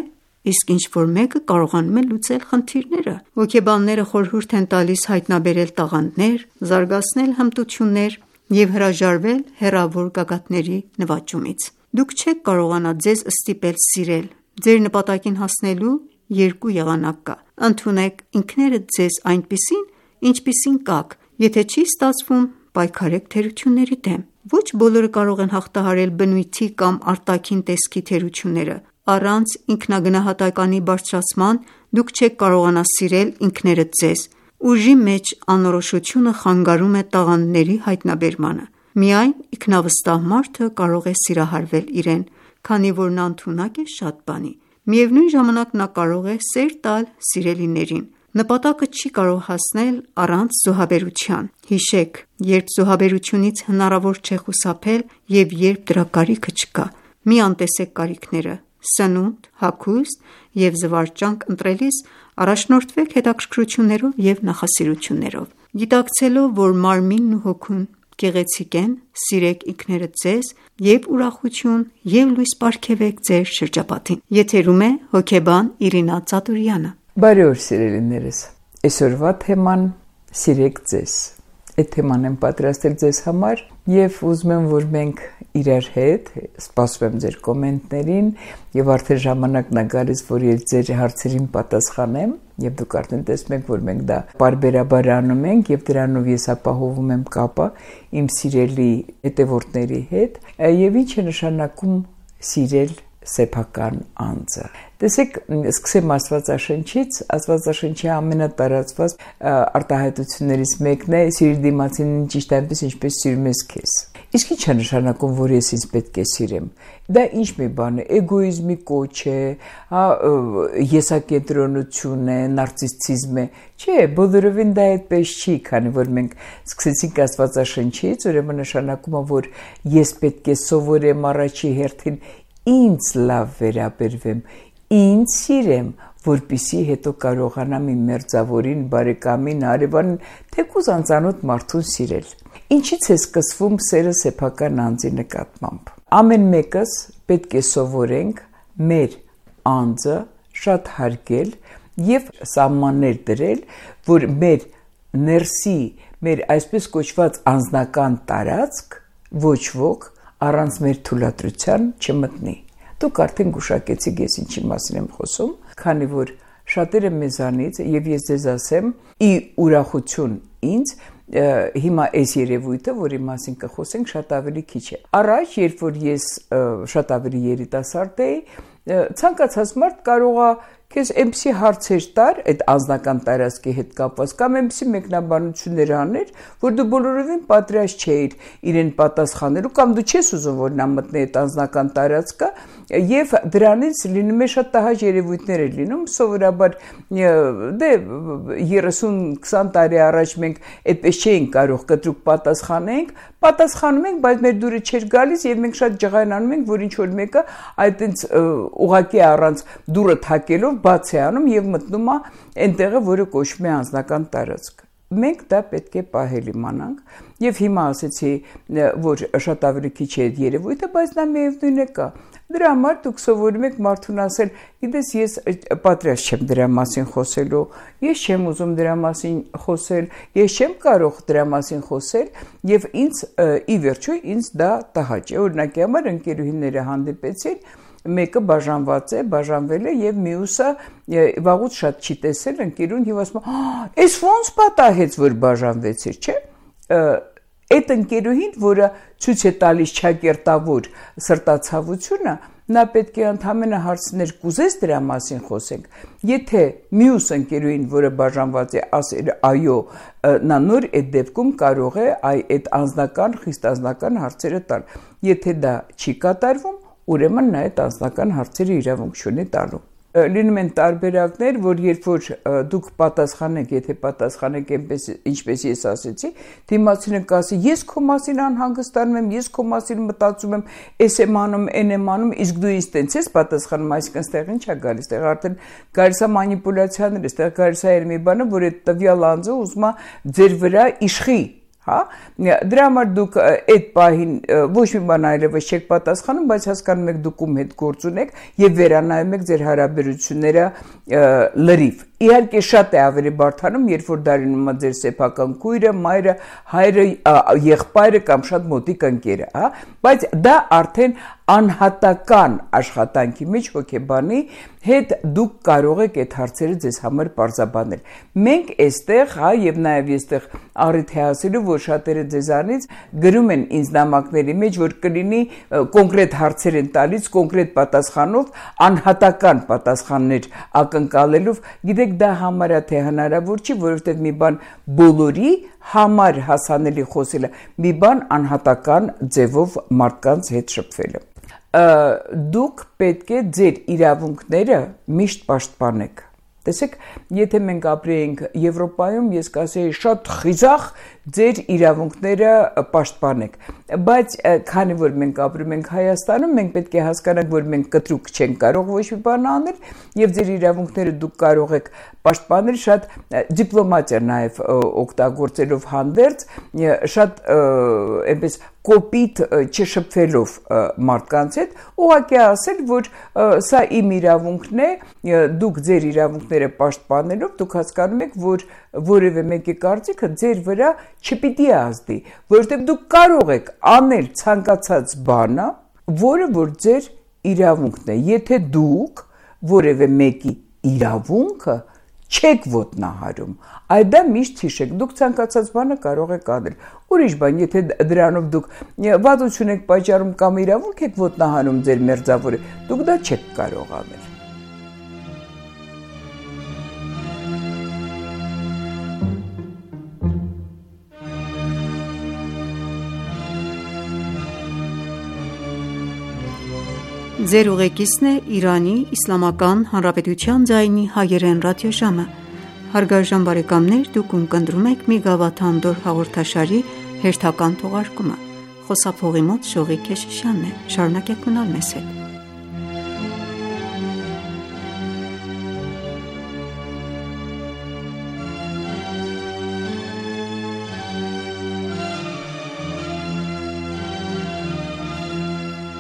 իսկ ինչ-որ մեկը կարողանում է լուծել խնդիրները։ Հոգեբանները խորհուրդ են տալիս հայտնաբերել տաղանդներ, զարգացնել հմտություններ և հրաժարվել հեռավոր գագաթների նվաճումից։ Դուք չեք կարողանա ձեզ ստիպել սիրել։ Ձեր նպատակին հասնելու երկու եղանակ կա։ Ընդունեք ինքներդ ձեզ այնպիսին, ինչպիսին կաք։ Եթե չի ստացվում, պայքարեք թերությունների դեմ։ Ոչ բոլորը կարող են հաղթահարել բնույթի կամ արտաքին տեսքի թերությունները։ Առանց ինքնագնահատականի բարձրացման դուք չեք կարողանա սիրել ինքներդ ձեզ։ Ուժի մեջ անորոշությունը խանգարում է տաղանդների հայտնաբերմանը։ Միայն ինքնավստահ մարդը կարող է սիրահարվել իրեն, քանի որ նա ընդունակ է շատ բանի։ Միևնույն ժամանակ նա կարող է սեր տալ սիրելիներին։ Նպատակը չի կարող հասնել առանց զոհաբերության։ Հիշեք, երբ զոհաբերությունից հնարավոր չէ խուսափել և երբ դրա կարիքը չկա։ Մի անտեսեք կարիքները։ Սնունդ, հագուստ և զվարճանք ընտրելիս առաջնորդվեք հետաքրքրություններով և նախասիրություններով։ Գիտակցելով, որ մարմինն ու հոգուն գեղեցիկ են, սիրեք ինքներդ ձեզ և ուրախություն և լույս պարգևեք ձեր շրջապատին։ Եթերում է հոգեբան Իրինա Ծատուրյանը։ Բարի օր սիրելիներս։ Այսօրվա թեման սիրեք ձեզ։ Այդ թեման եմ պատրաստել ձեզ համար և ուզում եմ, որ մենք իրար հետ, սպասում եմ ձեր կոմենտներին և արդեն ժամանակն է գալիս, որ ես ձեր հարցերին պատասխանեմ և դուք արդեն տեսնում եք, որ մենք դա պարբերաբար անում ենք և դրանով ես ապահովում եմ կապը իմ սիրելի հետևորդների հետ և ինչ է նշանակում սիրել սեփական անձը։ Տեսեք, սկսեմ Աստվածաշնչից, Աստվածաշնչի ամենատարածված արտահայտություններից մեկն է սիրիր դիմացինին ճիշտ այնպես, ինչպես սիրում ես քեզ։ Իսկ ի՞նչ է նշանակում, որ ես ինձ պետք է սիրեմ։ Դա ինչ մի բան է, էգոիզմի կոչ է, հա, եսակենտրոնություն է, նարցիսիզմ է։ Չէ, բոլորովին դա այդպես չի, քանի որ մենք սկսեցինք Աստվածաշնչից, ուրեմն նշանակում է, որ ես պետք է սովորեմ առաջի հերթին ինձ լավ վերաբերվեմ, ինձ սիրեմ, որպեսզի հետո կարողանամ իմ մերձավորին, բարեկամին, հարևանին, թեկուզ անծանոթ մարդուն սիրել։ Ինչից է սկսվում սերը սեփական անձի նկատմամբ։ Ամեն մեկս պետք է սովորենք մեր անձը շատ հարգել և սահմաններ դրել, որ մեր ներսի, մեր այսպես կոչված անձնական տարածք ոչ ոք առանց մեր թույլատրության չմտնի։ Դուք արդեն գուշակեցիք ես ինչի մասին եմ խոսում, քանի որ շատերը մեզանից, և ես ձեզ ասեմ, ի ուրախություն ինձ, հիմա այս երևույթը, որի մասին կխոսենք, շատ ավելի քիչ է։ Առաջ, երբ որ ես շատ ավելի երիտասարդ էի, ցանկացած մարդ կարող է քեզ էմսի հարցեր տար այդ անձնական տարածքի հետ կապված կամ էմսի մեկնաբանություններ աներ, որ դու բոլորովին պատրաստ չէիր իրեն պատասխանելու կամ դու չես ուզում որ նա մտնի այդ անձնական տարածքը եւ դրանից լինում է շատ տհաճ երևույթներ է լինում սովորաբար դե երեսուն քսան տարի առաջ մենք այդպես չէինք կարող կտրուկ պատասխանենք պատասխանում ենք բայց մեր դուրը չէր գալիս եւ մենք շատ ջղայնանում ենք որ ինչ որ մեկը այդտենց ուղակի առանց դուրը թակելով բաց է անում եւ մտնում է այնտեղը որը կոչվում է անձնական տարածք մենք դա պետք է պահել իմանանք եւ հիմա ասեցի որ շատ ավելի քիչ է այդ երևույթը բայց նա միևնույն է կա դրա համար դուք սովորում եք մարդուն ասել գիտես ես պատրաստ չեմ դրա մասին խոսելու ես չեմ ուզում դրա մասին խոսել ես չեմ կարող դրա մասին խոսել եւ ինձ ի վերջո ինձ դա տհաճ է օրինակի համար ընկերուհիները հանդիպեցին մեկը բաժանված է, բաժանվել է եւ մյուսը վաղուց շատ չի տեսել ընկերուն եւ ասում է, «Էս ոնց պատահեց, որ բաժանվեցիր, չէ՞» Այդ ընկերուհին, որը ցույց է տալիս չակերտավոր սրտացավությունը, նա պետք է ընդհանրապես հարցներ կուզես դրա մասին խոսենք։ Եթե մյուս ընկերուհին, որը բաժանված է, ասել այո, նա նոր այդ դեպքում կարող է այդ անձնական, խիստ անձնական հարցերը տալ։ Եթե դա չի կատարվում, ուրեմն նա այդ անձնական հարցերը իրավունք չունի տալու։ Լինում են տարբերակներ, որ երբ որ դուք պատասխանեք, եթե պատասխանեք այնպես ինչպես ես ասեցի, դիմացինը կասի, ես քո մասին անհանգստանում եմ, ես քո մասին մտածում եմ, էս եմ անում, այն եմ անում, իսկ դու ինձ տենց ես պատասխանում, այսինքն ստեղ ինչ է գալիս, ստեղ արդեն գալիս է մանիպուլյացիաներ, ստեղ գալիս է մի բանը, որ այդ տվյալ անձը ուզում է ձեր վրա իշխի Հա դրա համար դուք այդ պահին ոչ մի բան այլևս չեք պատասխանում, բայց հասկանում եք դուք ում հետ գործ ունեք եւ վերանայում եք ձեր հարաբերությունները լրիվ։ Իհարկե շատ է ավելի բարդանում, երբ որ դա լինում է ձեր սեփական քույրը, մայրը, հայրը, եղբայրը կամ շատ մոտիկ ընկերը, հա, բայց դա արդեն անհատական աշխատանքի մեջ հոգեբանի հետ դուք կարող եք այդ հարցերը ձեզ համար պարզաբանել։ Մենք այստեղ, հա, եւ նաեւ այստեղ առիթ է ասելու, որ շատերը ձեզանից գրում են ինձ նամակների մեջ, որ կլինի կոնկրետ հարցեր են տալիս, կոնկրետ պատասխանով, անհատական պատասխաններ ակնկալելով, գիտեք դա համարյա թե հնարավոր չի, որովհետև մի բան բոլորի համար հասանելի խոսելը, մի բան անհատական ձևով մարդկանց հետ շփվելը։ Դուք պետք է ձեր իրավունքները միշտ պաշտպանեք։ Տեսեք, եթե մենք ապրեինք Եվրոպայում, ես կասեի շատ խիզախ ձեր իրավունքները պաշտպանեք, բայց քանի որ մենք ապրում ենք Հայաստանում, մենք պետք է հասկանանք, որ մենք կտրուկ չենք կարող ոչ մի բան անել, եւ ձեր իրավունքները դուք կարող եք պաշտպանել շատ դիպլոմատիա նաեւ օգտագործելով հանդերձ, շատ այնպես կոպիտ չշփվելով մարդկանց հետ, ուղղակի ասել, որ սա իմ իրավունքն է, դուք ձեր իրավունքները պաշտպանելով դուք հասկանում եք, որ որևէ մեկի կարծիքը ձեր վրա չպիտի ազդի, որովհետև դուք կարող եք անել ցանկացած բանը, որը որ ձեր իրավունքն է, եթե դուք որևէ մեկի իրավունքը չեք ոտնահարում, այդ դա միշտ հիշեք, դուք ցանկացած բանը կարող եք անել, ուրիշ բան, եթե դրանով դուք վատություն եք պատճառում կամ իրավունք եք ոտնահարում ձեր մերձավորը, դուք դա չեք կարող անել։ Ձեր ուղեկիցն է Իրանի Իսլամական Հանրապետության ձայնի հայերեն ռադիոժամը։ Հարգարժան բարեկամներ, դուք ունկնդրում եք մի գավաթ անդոր հաղորդաշարի հերթական թողարկումը։ Խոսափողի մոտ Շողիկ Քեշիշյանն է։ Շարունակեք մնալ մեզ հետ։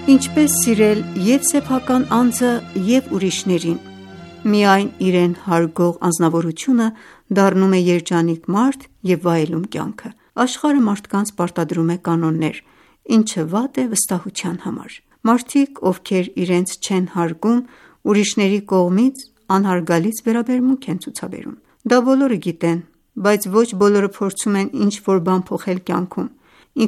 Ինչպես սիրել և սեփական անձը և ուրիշներին, միայն իրեն հարգող անձնավորությունը դառնում է երջանիկ մարդ և վայելում կյանքը։ Աշխարհը մարդկանց պարտադրում է կանոններ, ինչը վատ է վստահության համար։ Մարդիկ, ովքեր իրենց չեն հարգում, ուրիշների կողմից անհարգալից վերաբերմունք են ցուցաբերում։ Դա բոլորը գիտեն, բայց ոչ բոլորը փորձում են ինչ-որ բան փոխել կյանքում։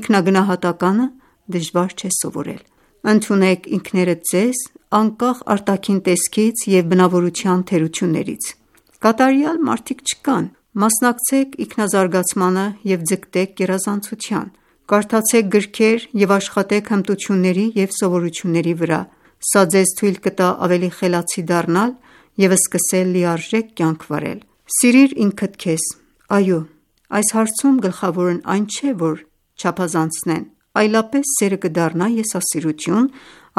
Ինքնագնահատականը դժվար չէ սովորել։ Ընդունեք ինքներդ ձեզ անկախ արտաքին տեսքից և բնավորության թերություններից։ Կատարյալ մարդիկ չկան։ Մասնակցեք ինքնազարգացմանը և ձգտեք գերազանցության։ Կարդացեք գրքեր և աշխատեք հմտությունների և սովորությունների վրա։ Սա ձեզ թույլ կտա ավելի խելացի դառնալ և սկսել լիարժեք կյանք վարել։ Սիրիր ինքդ քեզ։ Այո, այս հարցում գլխավորն այն չէ, որ չափազանցնեն, այլապես սերը կդառնա եսասիրություն,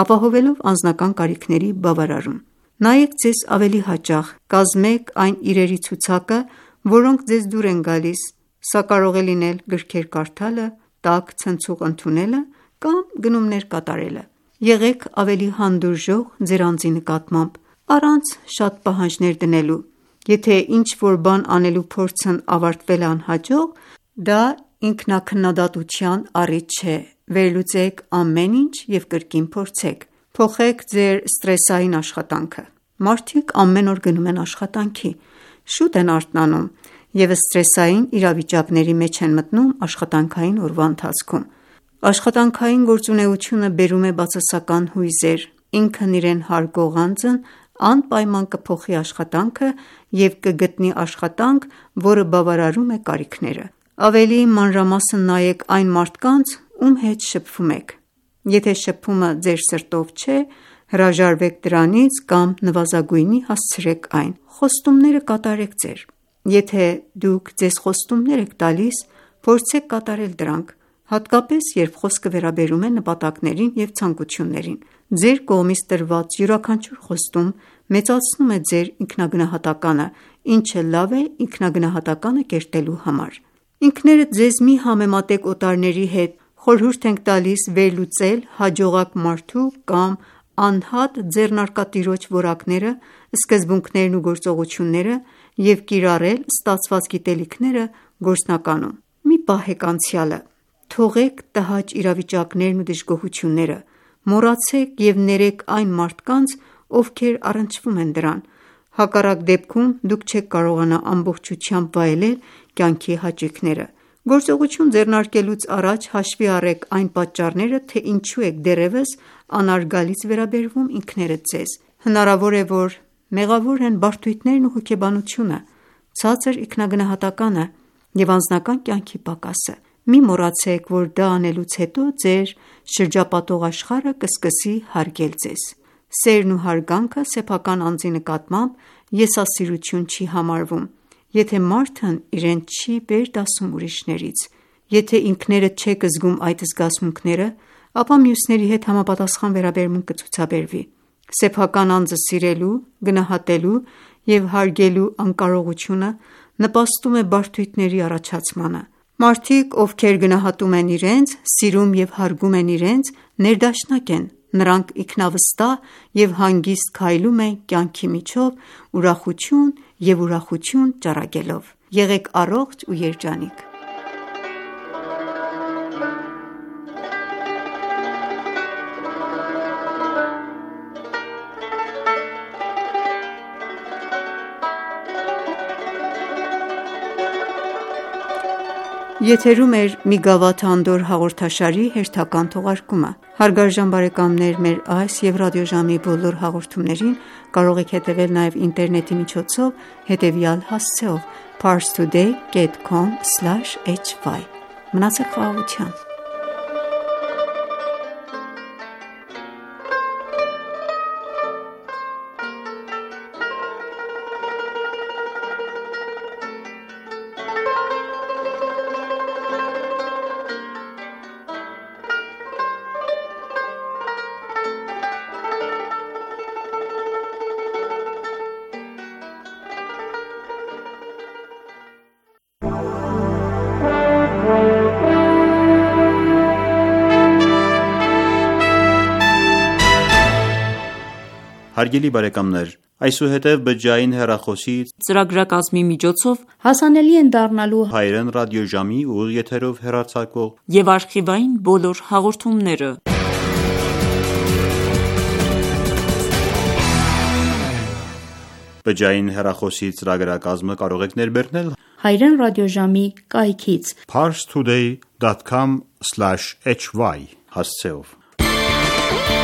ապահովելով անձնական կարիքների բավարարում։ Նայեք ձեզ ավելի հաճախ, կազմեք այն իրերի ցուցակը, որոնք ձեզ դուր են գալիս։ Սա կարող է լինել գրքեր կարդալը, տաք ցնցուղ ընդունելը կամ գնումներ կատարելը։ Եղեք ավելի հանդուրժող ձեր անձի նկատմամբ, առանց շատ պահանջներ դնելու։ Եթե ինչ-որ բան անելու փորձն ավարտվել է անհաջող, դա ինքնաքննադատության առիթ չէ։ Վերլուծեք ամեն ինչ և կրկին փորձեք։ Փոխեք ձեր սթրեսային աշխատանքը։ Մարդիկ ամեն օր գնում են աշխատանքի, շուտ են արթնանում և սթրեսային իրավիճակների մեջ են մտնում աշխատանքային օրվա ընթացքում։ Աշխատանքային գործունեությունը բերում է բացասական հույզեր։ Ինքն իրեն հարգող անձն անպայման կփոխի աշխատանքը և կգտնի աշխատանք, որը բավարարում է կարիքները։ Ավելի մանրամասն նայեք այն մարդկանց, ում հետ շփվում եք։ Եթե շփումը ձեր սրտով չէ, հրաժարվեք դրանից կամ նվազագույնի հասցրեք այն։ Խոստումները կատարեք ձեր։ Եթե դուք ձեզ խոստումներ եք տալիս, փորձեք կատարել դրանք, հատկապես երբ խոսքը վերաբերում է նպատակներին և ցանկություններին։ Ձեր կողմից տրված յուրաքանչյուր խոստում մեծացնում է ձեր ինքնագնահատականը, ինչը լավ է ինքնագնահատականը կերտելու համար։ Ինքներդ ձեզ մի համեմատեք օտարների հետ։ Խորհուրդ ենք տալիս վերլուծել հաջողակ մարդու կամ անհատ ձեռնարկատիրոջ որակները, սկզբունքներն ու գործողությունները և կիրառել ստացված գիտելիքները գործնականում։ Մի պահեք անցյալը։ Թողեք տհաճ իրավիճակներն ու դժգոհությունները։ Մոռացեք և ներեք այն մարդկանց, ովքեր առնչվում են դրան։ Հակառակ դեպքում դուք չեք կարողանա ամբողջությամբ վայելել կյանքի հաճույքները։ Գործողություն ձեռնարկելուց առաջ հաշվի առեք այն պատճառները, թե ինչու եք դեռևս անարգալից վերաբերվում ինքներդ ձեզ։ Հնարավոր է, որ մեղավոր են բարդույթներն ու հոգեբանությունը, ցածր ինքնագնահատականը և անձնական կյանքի պակասը։ Մի մոռացեք, որ դա անելուց հետո ձեր շրջապատող աշխարհը կսկսի հարգել ձեզ։ Սերն ու հարգանքը սեփական անձի նկատմամբ եսասիրություն չի համարվում, եթե մարդն իրեն չի վեր դասում ուրիշներից։ Եթե ինքներդ չեք զգում այդ զգացմունքները, ապա մյուսների հետ համապատասխան վերաբերմունք կցուցաբերվի։ Սեփական անձը սիրելու, գնահատելու և հարգելու անկարողությունը նպաստում է բարդույթների առաջացմանը։ Մարդիկ, ովքեր գնահատում են իրենց, սիրում և հարգում են իրենց, ներդաշնակ են։ Նրանք ինքնավստահ և հանգիստ քայլում են կյանքի միջով՝ ուրախություն և ուրախություն ճառագելով։ Եղեք առողջ ու երջանիկ։ Եթերում է «Մի գավաթ Անդորր» հաղորդաշարի հերթական թողարկումը։ Հարգարժան բարեկամներ, մեր այս և ռադիոժամի բոլոր հաղորդումներին կարող եք հետևել նաև ինտերնետի միջոցով հետևյալ հասցեով՝ parstoday dot com slash h y։ Մնացեք խաղաղությամբ։ Հարգելի բարեկամներ, այսուհետև բջջային հեռախոսի ծրագրակազմի միջոցով հասանելի են դառնալու հայերեն ռադիոժամի ուղիղ եթերով հեռարձակվող և արխիվային բոլոր հաղորդումները։ Բջջային հեռախոսի ծրագրակազմը կարող եք ներբեռնել հայերեն ռադիոժամի կայքից parstoday dot com slash h y հասցեով։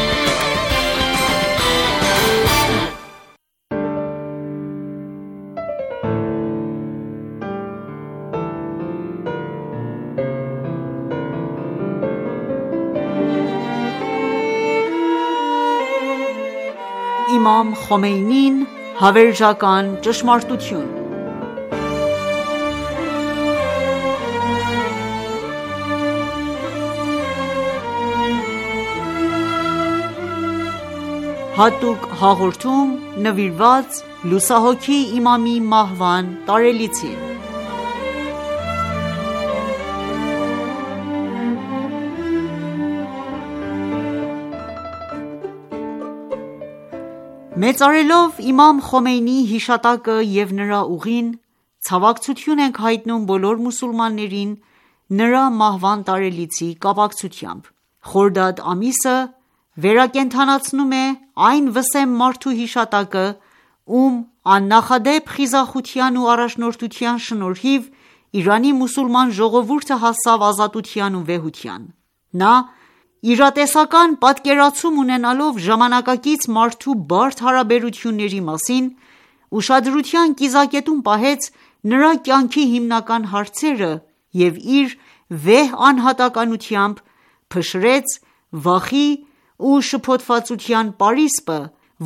Իմամ Խոմեյնին հավերժական ճշմարտություն։ Հատուկ հաղորդում նվիրված լուսահոգի Իմամի մահվան տարելիցին։ Մեծարելով Իմամ Խոմեյնիի հիշատակը և նրա ուղին, ցավակցություն ենք հայտնում բոլոր մուսուլմաններին նրա մահվան տարելիցի կապակցությամբ։ Խորդադ ամիսը վերակենդանացնում է այն վսեմ մարդու հիշատակը, ում աննախադեպ խիզախության ու առաջնորդության շնորհիվ Իրանի մուսուլման ժողովուրդը հասավ ազատության ու վեհության։ Նա իրատեսական պատկերացում ունենալով ժամանակակից մարդու բարդ հարաբերությունների մասին, ուշադրության կիզակետում պահեց նրա կյանքի հիմնական հարցերը և իր վեհ անհատականությամբ փշրեց վախի ու շփոթվածության պարիսպը,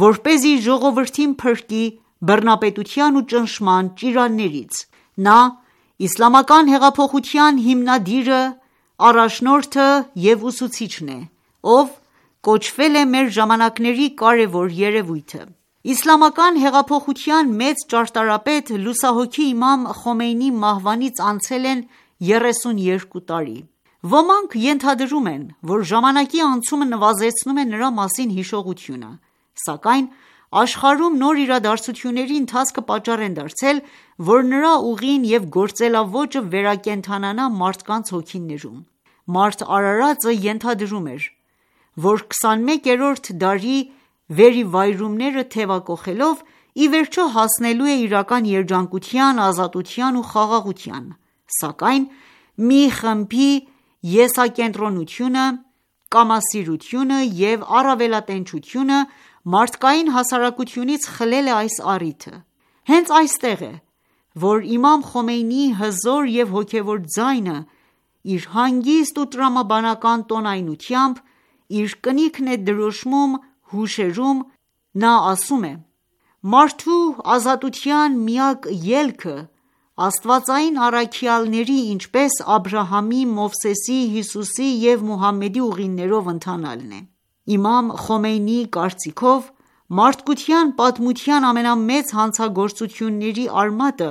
որպեսզի ժողովրդին փրկի բռնապետության ու ճնշման ճիրաններից։ Նա իսլամական հեղափոխության հիմնադիրը, առաջնորդը և ուսուցիչն է, ով կոչվել է մեր ժամանակների կարևոր երևույթը։ Իսլամական հեղափոխության մեծ ճարտարապետ լուսահոգի Իմամ Խոմեյնիի մահվանից անցել են երեսուներկու տարի։ Ոմանք ենթադրում են, որ ժամանակի անցումը նվազեցնում է նրա մասին հիշողությունը, սակայն աշխարհում նոր իրադարձությունների ընթացքը պատճառ են դարձել, որ նրա ուղին և գործելաոճը վերակենդանանա մարդկանց հոգիներում։ Մարդ արարածը ենթադրում էր, որ քսանմեկերորդ դարի վերիվայրումները թևակոխելով, ի վերջո հասնելու է իրական երջանկության, ազատության ու խաղաղության, սակայն մի խմբի եսակենտրոնությունը, կամասիրությունը և առավելատենչությունը մարդկային հասարակությունից խլել է այս առիթը։ Հենց այստեղ է, որ Իմամ Խոմեյնիի հզոր և հոգևոր ձայնը իր հանգիստ ու տրամաբանական տոնայնությամբ իր կնիքն է դրոշմում հուշերում։ Նա ասում է. «Մարդու ազատության միակ ելքը աստվածային առաքյալների, ինչպես Աբրահամի, Մովսեսի, Հիսուսի և Մուհամմեդի ուղիներով ընթանալն է»։ Իմամ Խոմեյնիի կարծիքով, մարդկության պատմության ամենամեծ հանցագործությունների արմատը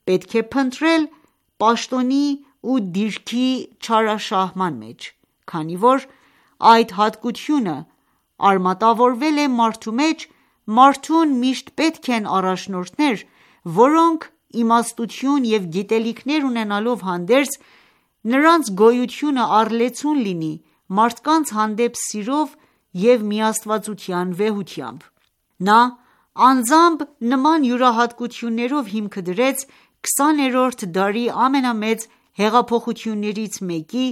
պետք է փնտրել պաշտոնի ու դիրքի չարաշահման մեջ, քանի որ այդ հատկությունը արմատավորվել է մարդու մեջ, մարդուն միշտ պետք են առաջնորդներ, որոնք իմաստություն և գիտելիքներ ունենալով հանդերձ, նրանց գոյությունը առլեցուն լինի մարդկանց հանդեպ սիրով և միաստվածության վեհությամբ։ Նա անձամբ նման յուրահատկություններով հիմքը դրեց քսաներորդ դարի ամենամեծ հեղափոխություններից մեկի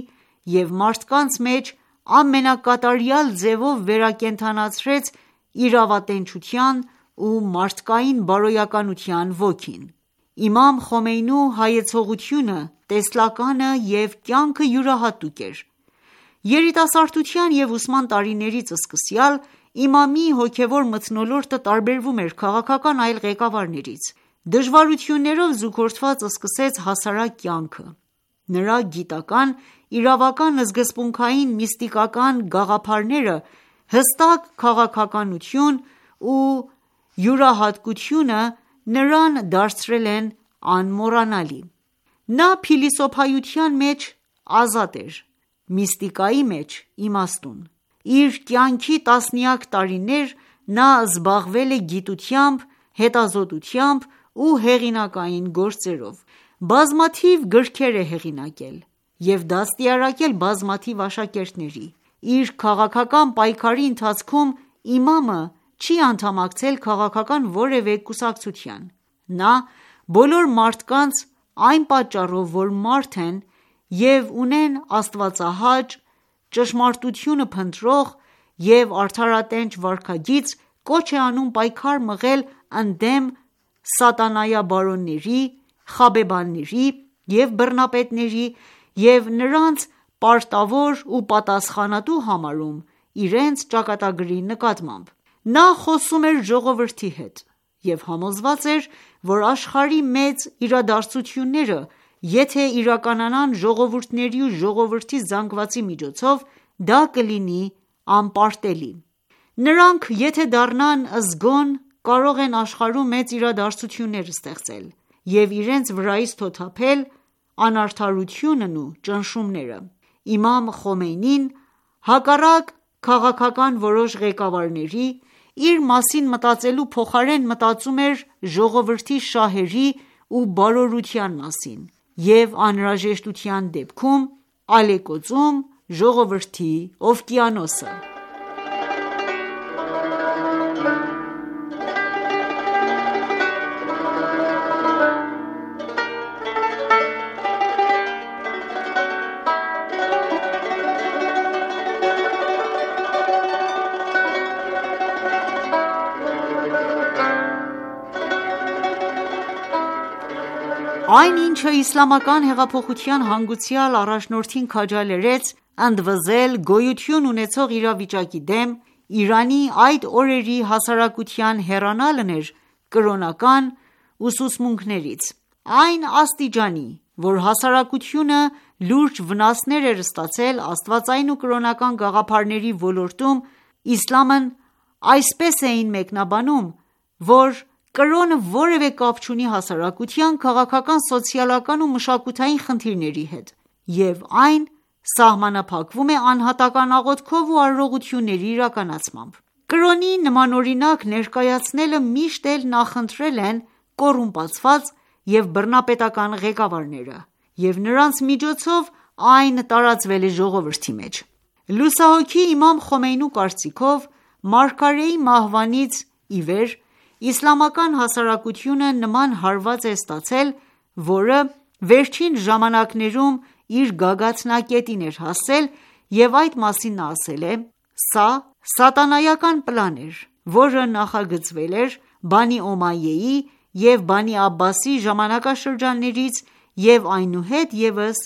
և մարդկանց մեջ ամենակատարյալ ձևով վերակենդանացրեց իրավատենչության ու մարդկային բարոյականության ոգին։ Իմամ Խոմեյնու հայեցողությունը տեսլականը և կյանքը յուրահատուկ էր։ Երիտասարդության և ուսման տարիներից սկսյալ Իմամի հոգևոր մթնոլորտը տարբերվում էր քաղաքական այլ ղեկավարներից։ Դժվարություններով զուգորդված սկսեց հասարակ կյանքը։ Նրա գիտական, իրավական, սկզբունքային, միստիկական գաղափարները հստակ քաղաքականություն ու յուրահատկությունը նրան դարձրել են անմոռանալի։ Նա փիլիսոփայության մեջ ազատ էր, միստիկայի մեջ իմաստուն։ Իր կյանքի տասնյակ տարիներ նա զբաղվել է գիտությամբ, հետազոտությամբ ու հեղինակային գործերով։ Բազմաթիվ գրքեր է հեղինակել և դաստիարակել բազմաթիվ աշակերտների։ Իր քաղաքական պայքարի ընթացքում իմամը չի անդամակցել քաղաքական որևէ կուսակցության։ Նա բոլոր մարդկանց այն պատճառով, որ մարդ են և ունեն աստվածահաճ, ճշմարտությունը փնտրող և արդարատենչ վարքագիծ, կոչ է անում պայքար մղել ընդդեմ սատանայաբարոնների, խաբեբաների և բռնապետների և նրանց պարտավոր ու պատասխանատու համարում իրենց ճակատագրի նկատմամբ։ Նա խոսում էր ժողովրդի հետ և համոզված էր, որ աշխարհի մեծ իրադարձությունները եթե իրականանան ժողովուրդների ու ժողովրդի զանգվածի միջոցով, դա կլինի անպարտելի: Նրանք եթե դառնան զգոն, կարող են աշխարհում մեծ իրադարձություններ ստեղծել և իրենց վրայից թոթափել անարդարությունն ու ճնշումները: Իմամ Խոմեյնին, հակառակ քաղաքական որոշ ղեկավարների, իր մասին մտածելու փոխարեն մտածում էր ժողովրդի շահերի ու բարօրության մասին և անհրաժեշտության դեպքում ալեկոծում ժողովրդի օվկիանոսը: Այն ինչը իսլամական հեղափոխության հանգուցյալ առաջնորդին քաջալերեց ընդվզել գոյություն ունեցող իրավիճակի դեմ, Իրանի այդ օրերի հասարակության հեռանալն էր կրոնական ուսուցմունքներից: Այն աստիճանի, որ հասարակությունը լուրջ վնասներ էր ստացել աստվածային ու կրոնական գաղափարների ոլորտում, իսլամն այսպես էին մեկնաբանում, որ կրոնը որևէ կապ չունի հասարակության քաղաքական, սոցիալական ու մշակութային խնդիրների հետ և այն սահմանափակվում է անհատական աղոթքով ու արարողությունների իրականացմամբ: Կրոնի նմանօրինակ ներկայացնելը միշտ էլ նախընտրել են կոռումպացված և բռնապետական ղեկավարները և նրանց միջոցով այն տարածվել է ժողովրդի մեջ: Լուսահոգի Իմամ Խոմեյնու կարծիքով, մարգարեի մահվանից ի վեր իսլամական հասարակությունը նման հարված է ստացել, որը վերջին ժամանակներում իր գագաթնակետին էր հասել և այդ մասին նա ասել է. «Սա սատանայական պլան էր, որը նախագծվել էր Բանի Օմայեի և Բանի Աբբասի ժամանակաշրջաններից և այնուհետ ևս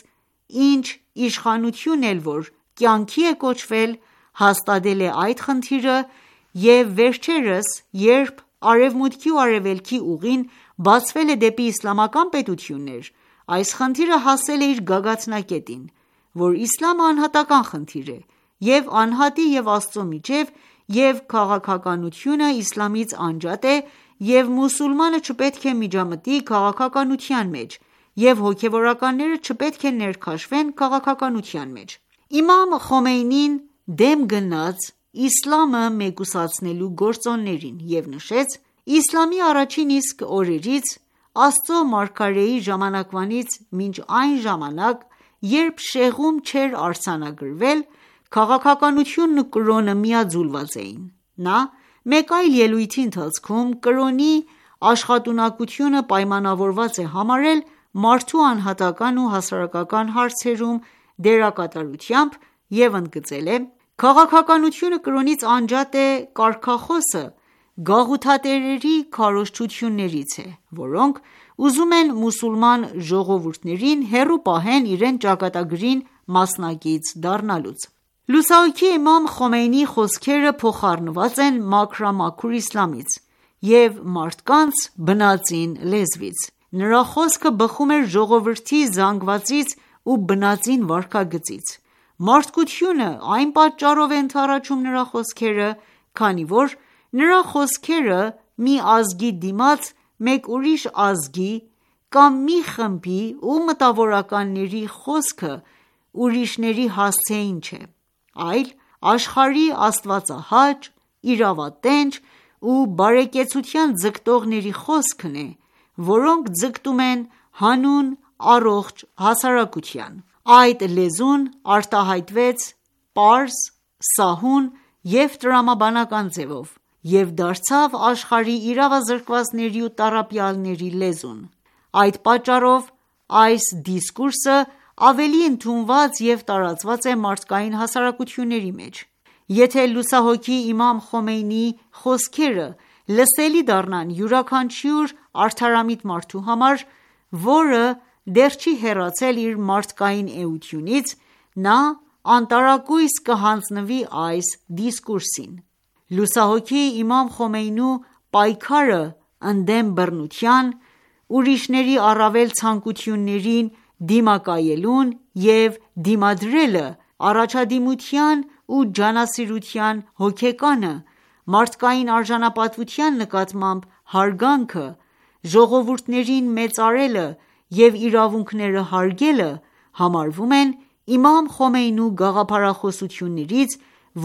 ինչ իշխանություն էլ որ կյանքի է կոչվել, հաստատել է այդ խնդիրը և վերջերս երբ արևմուտքի ու արևելքի ուղին բացվել է դեպի իսլամական պետություններ, այս խնդիրը հասել է իր գագաթնակետին, որ իսլամը անհատական խնդիր է և անհատի և Աստծո միջև և քաղաքականությունը իսլամից անջատ է և մուսուլմանը չպետք է միջամտի քաղաքականության մեջ և հոգևորականները չպետք է ներքաշվեն քաղաքականության մեջ»: Իմամ Խոմեյնին դեմ գնաց իսլամը մեկուսացնելու գործոններին և նշեց. «Իսլամի առաջին իսկ օրերից, Աստծո մարգարեի ժամանակվանից մինչ այն ժամանակ, երբ շեղում չէր արձանագրվել, քաղաքականությունն ու կրոնը միաձուլված էին»: Նա մեկ այլ ելույթի ընթացքում կրոնի աշխատունակությունը պայմանավորված է համարել մարդու անհատական ու հասարակական հարցերում դերակատարությամբ և ընդգծել է. «Քաղաքականությունը կրոնից անջատ է կարգախոսը գաղութատերերի քարոզչություններից է, որոնք ուզում են մուսուլման ժողովուրդներին հեռու պահեն իրենց ճակատագրին մասնակից դառնալուց»: Լուսահոգի Իմամ Խոմեյնիի խոսքերը փոխառնված են մաքրամաքուր իսլամից և մարդկանց բնածին լեզվից: Նրա խոսքը բխում էր ժողովրդի զանգվածից ու բնածին վարքագծից: Մարդկությունը այն պատճառով է ընդառաջում նրա խոսքերը, քանի որ նրա խոսքերը մի ազգի դիմաց մեկ ուրիշ ազգի կամ մի խմբի ու մտավորականների խոսքը ուրիշների հասցեին չէ, այլ աշխարհի աստվածահաճ, իրավատենչ ու բարեկեցության ձգտողների խոսքն է, որոնք ձգտում են հանուն առողջ հասարակության: Այդ լեզուն արտահայտվեց պարզ, սահուն և տրամաբանական ձևով և դարձավ աշխարհի իրավազրկվածների ու տառապյալների լեզուն: Այդ պատճառով այս դիսկուրսը ավելի ընդունված և տարածված է մարդկային հասարակությունների մեջ: Եթե լուսահոգի Իմամ Խոմեյնիի խոսքերը լսելի դառնան յուրաքանչյուր արդարամիտ մարդու համար, որը դեռ չի հեռացել իր մարդկային էությունից, նա անտարակույս կհանձնվի այս դիսկուրսին: Լուսահոգի Իմամ Խոմեյնու պայքարը ընդդեմ բռնության, ուրիշների առավել ցանկություններին դիմակայելուն և դիմադրելը, առաջադիմության ու ջանասիրության հոգեկանը, մարդկային արժանապատվության նկատմամբ հարգանքը, ժողովուրդներին մեծարելը և իրավունքները հարգելը համարվում են իմամ Խոմեյնու գաղափարախոսություններից,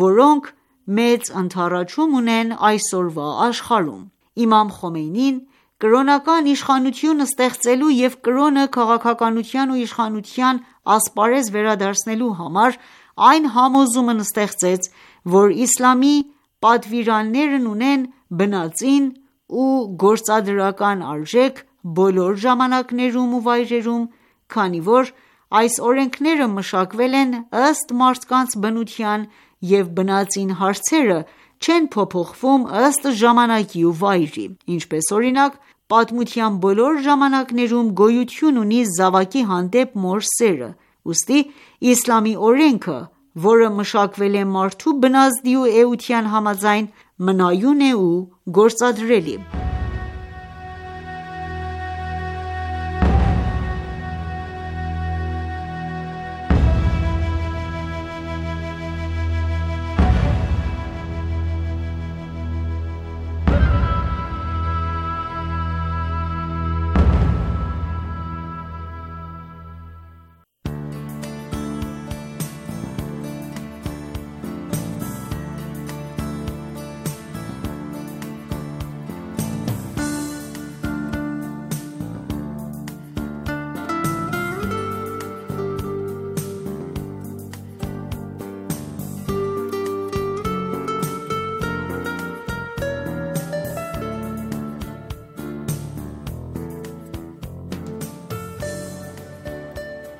որոնք մեծ ընդառաջում ունեն այսօրվա աշխարհում: Իմամ Խոմեյնին կրոնական իշխանություն ստեղծելու և կրոնը քաղաքականության ու իշխանության ասպարեզ վերադարձնելու համար այն համոզումն ստեղծեց, որ իսլամի պատվիրաններն ունեն բնածին ու գործադրական արժեք բոլոր ժամանակներում ու վայրերում, քանի որ այս օրենքները մշակվել են ըստ մարդկանց բնության և բնածին հարցերը չեն փոփոխվում ըստ ժամանակի ու վայրի: Ինչպես օրինակ, պատմության բոլոր ժամանակներում գոյություն ունի զավակի հանդեպ մոր սերը: Ուստի իսլամի օրենքը, որը մշակվել է մարդու բնազդի ու էության համաձայն, մնայուն է ու գործադրելի: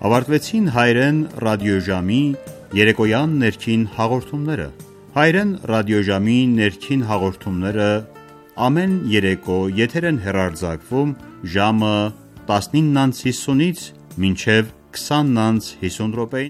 Ավարտվեցին հայերեն ռադիոժամի երեկոյան ներքին հաղորդումները: Հայերեն ռադիոժամի ներքին հաղորդումները ամեն երեկո եթեր են հեռարձակվում ժամը տասնինը հիսունից մինչև քսանը հիսուն րոպե: